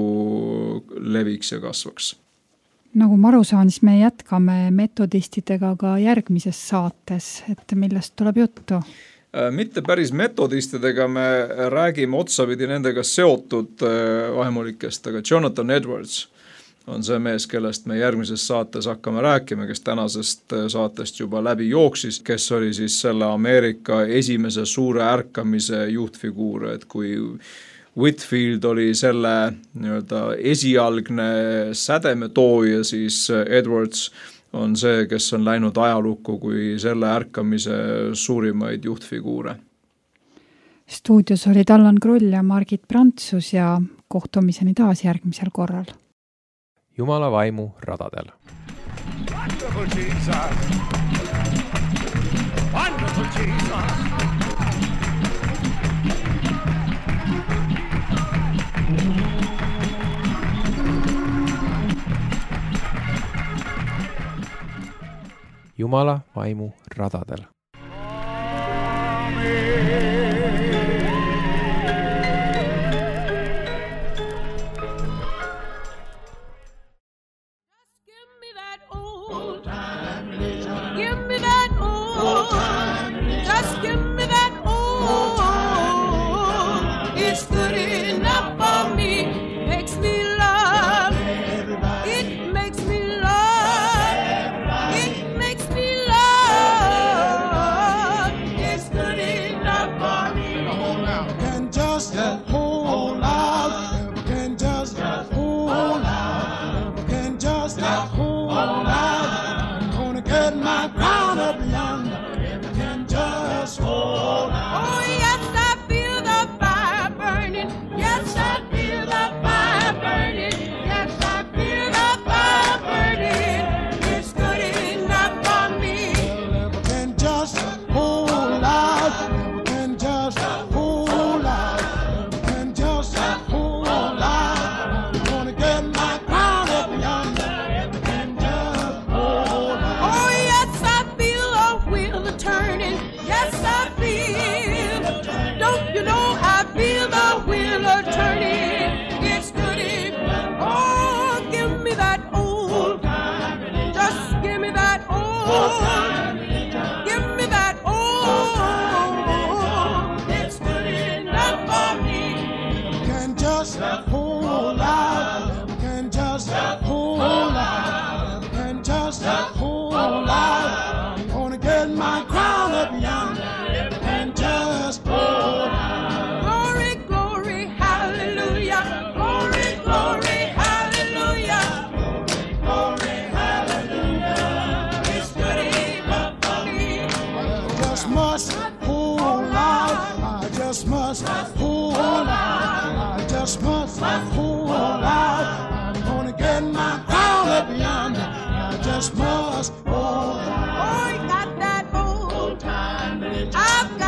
leviks ja kasvaks. Nagu ma aru saan, siis me jätkame metodistidega ka järgmises saates, et millest tuleb juttu? Mitte päris metodistidega, me räägime otsapidi nendega seotud vaimulikest, aga Jonathan Edwards on see mees, kellest me järgmises saates hakkame rääkima, kes tänasest saatest juba läbi jooksis, kes oli siis selle Ameerika esimese suure ärkamise juhtfiguur, et kui Whitfield oli selle nii-öelda esialgne sädemetooja, siis Edwards on see, kes on läinud ajalukku kui selle ärkamise suurimaid juhtfiguure. Stuudios olid Allan Kroll ja Margit Prantsus ja kohtumiseni taas järgmisel korral. Jumala vaimu radadel. Wonderful Jesus! Wonderful Jesus! Jumala vaimu radadel. Must hold on. Oh, you got that old time religion. I've got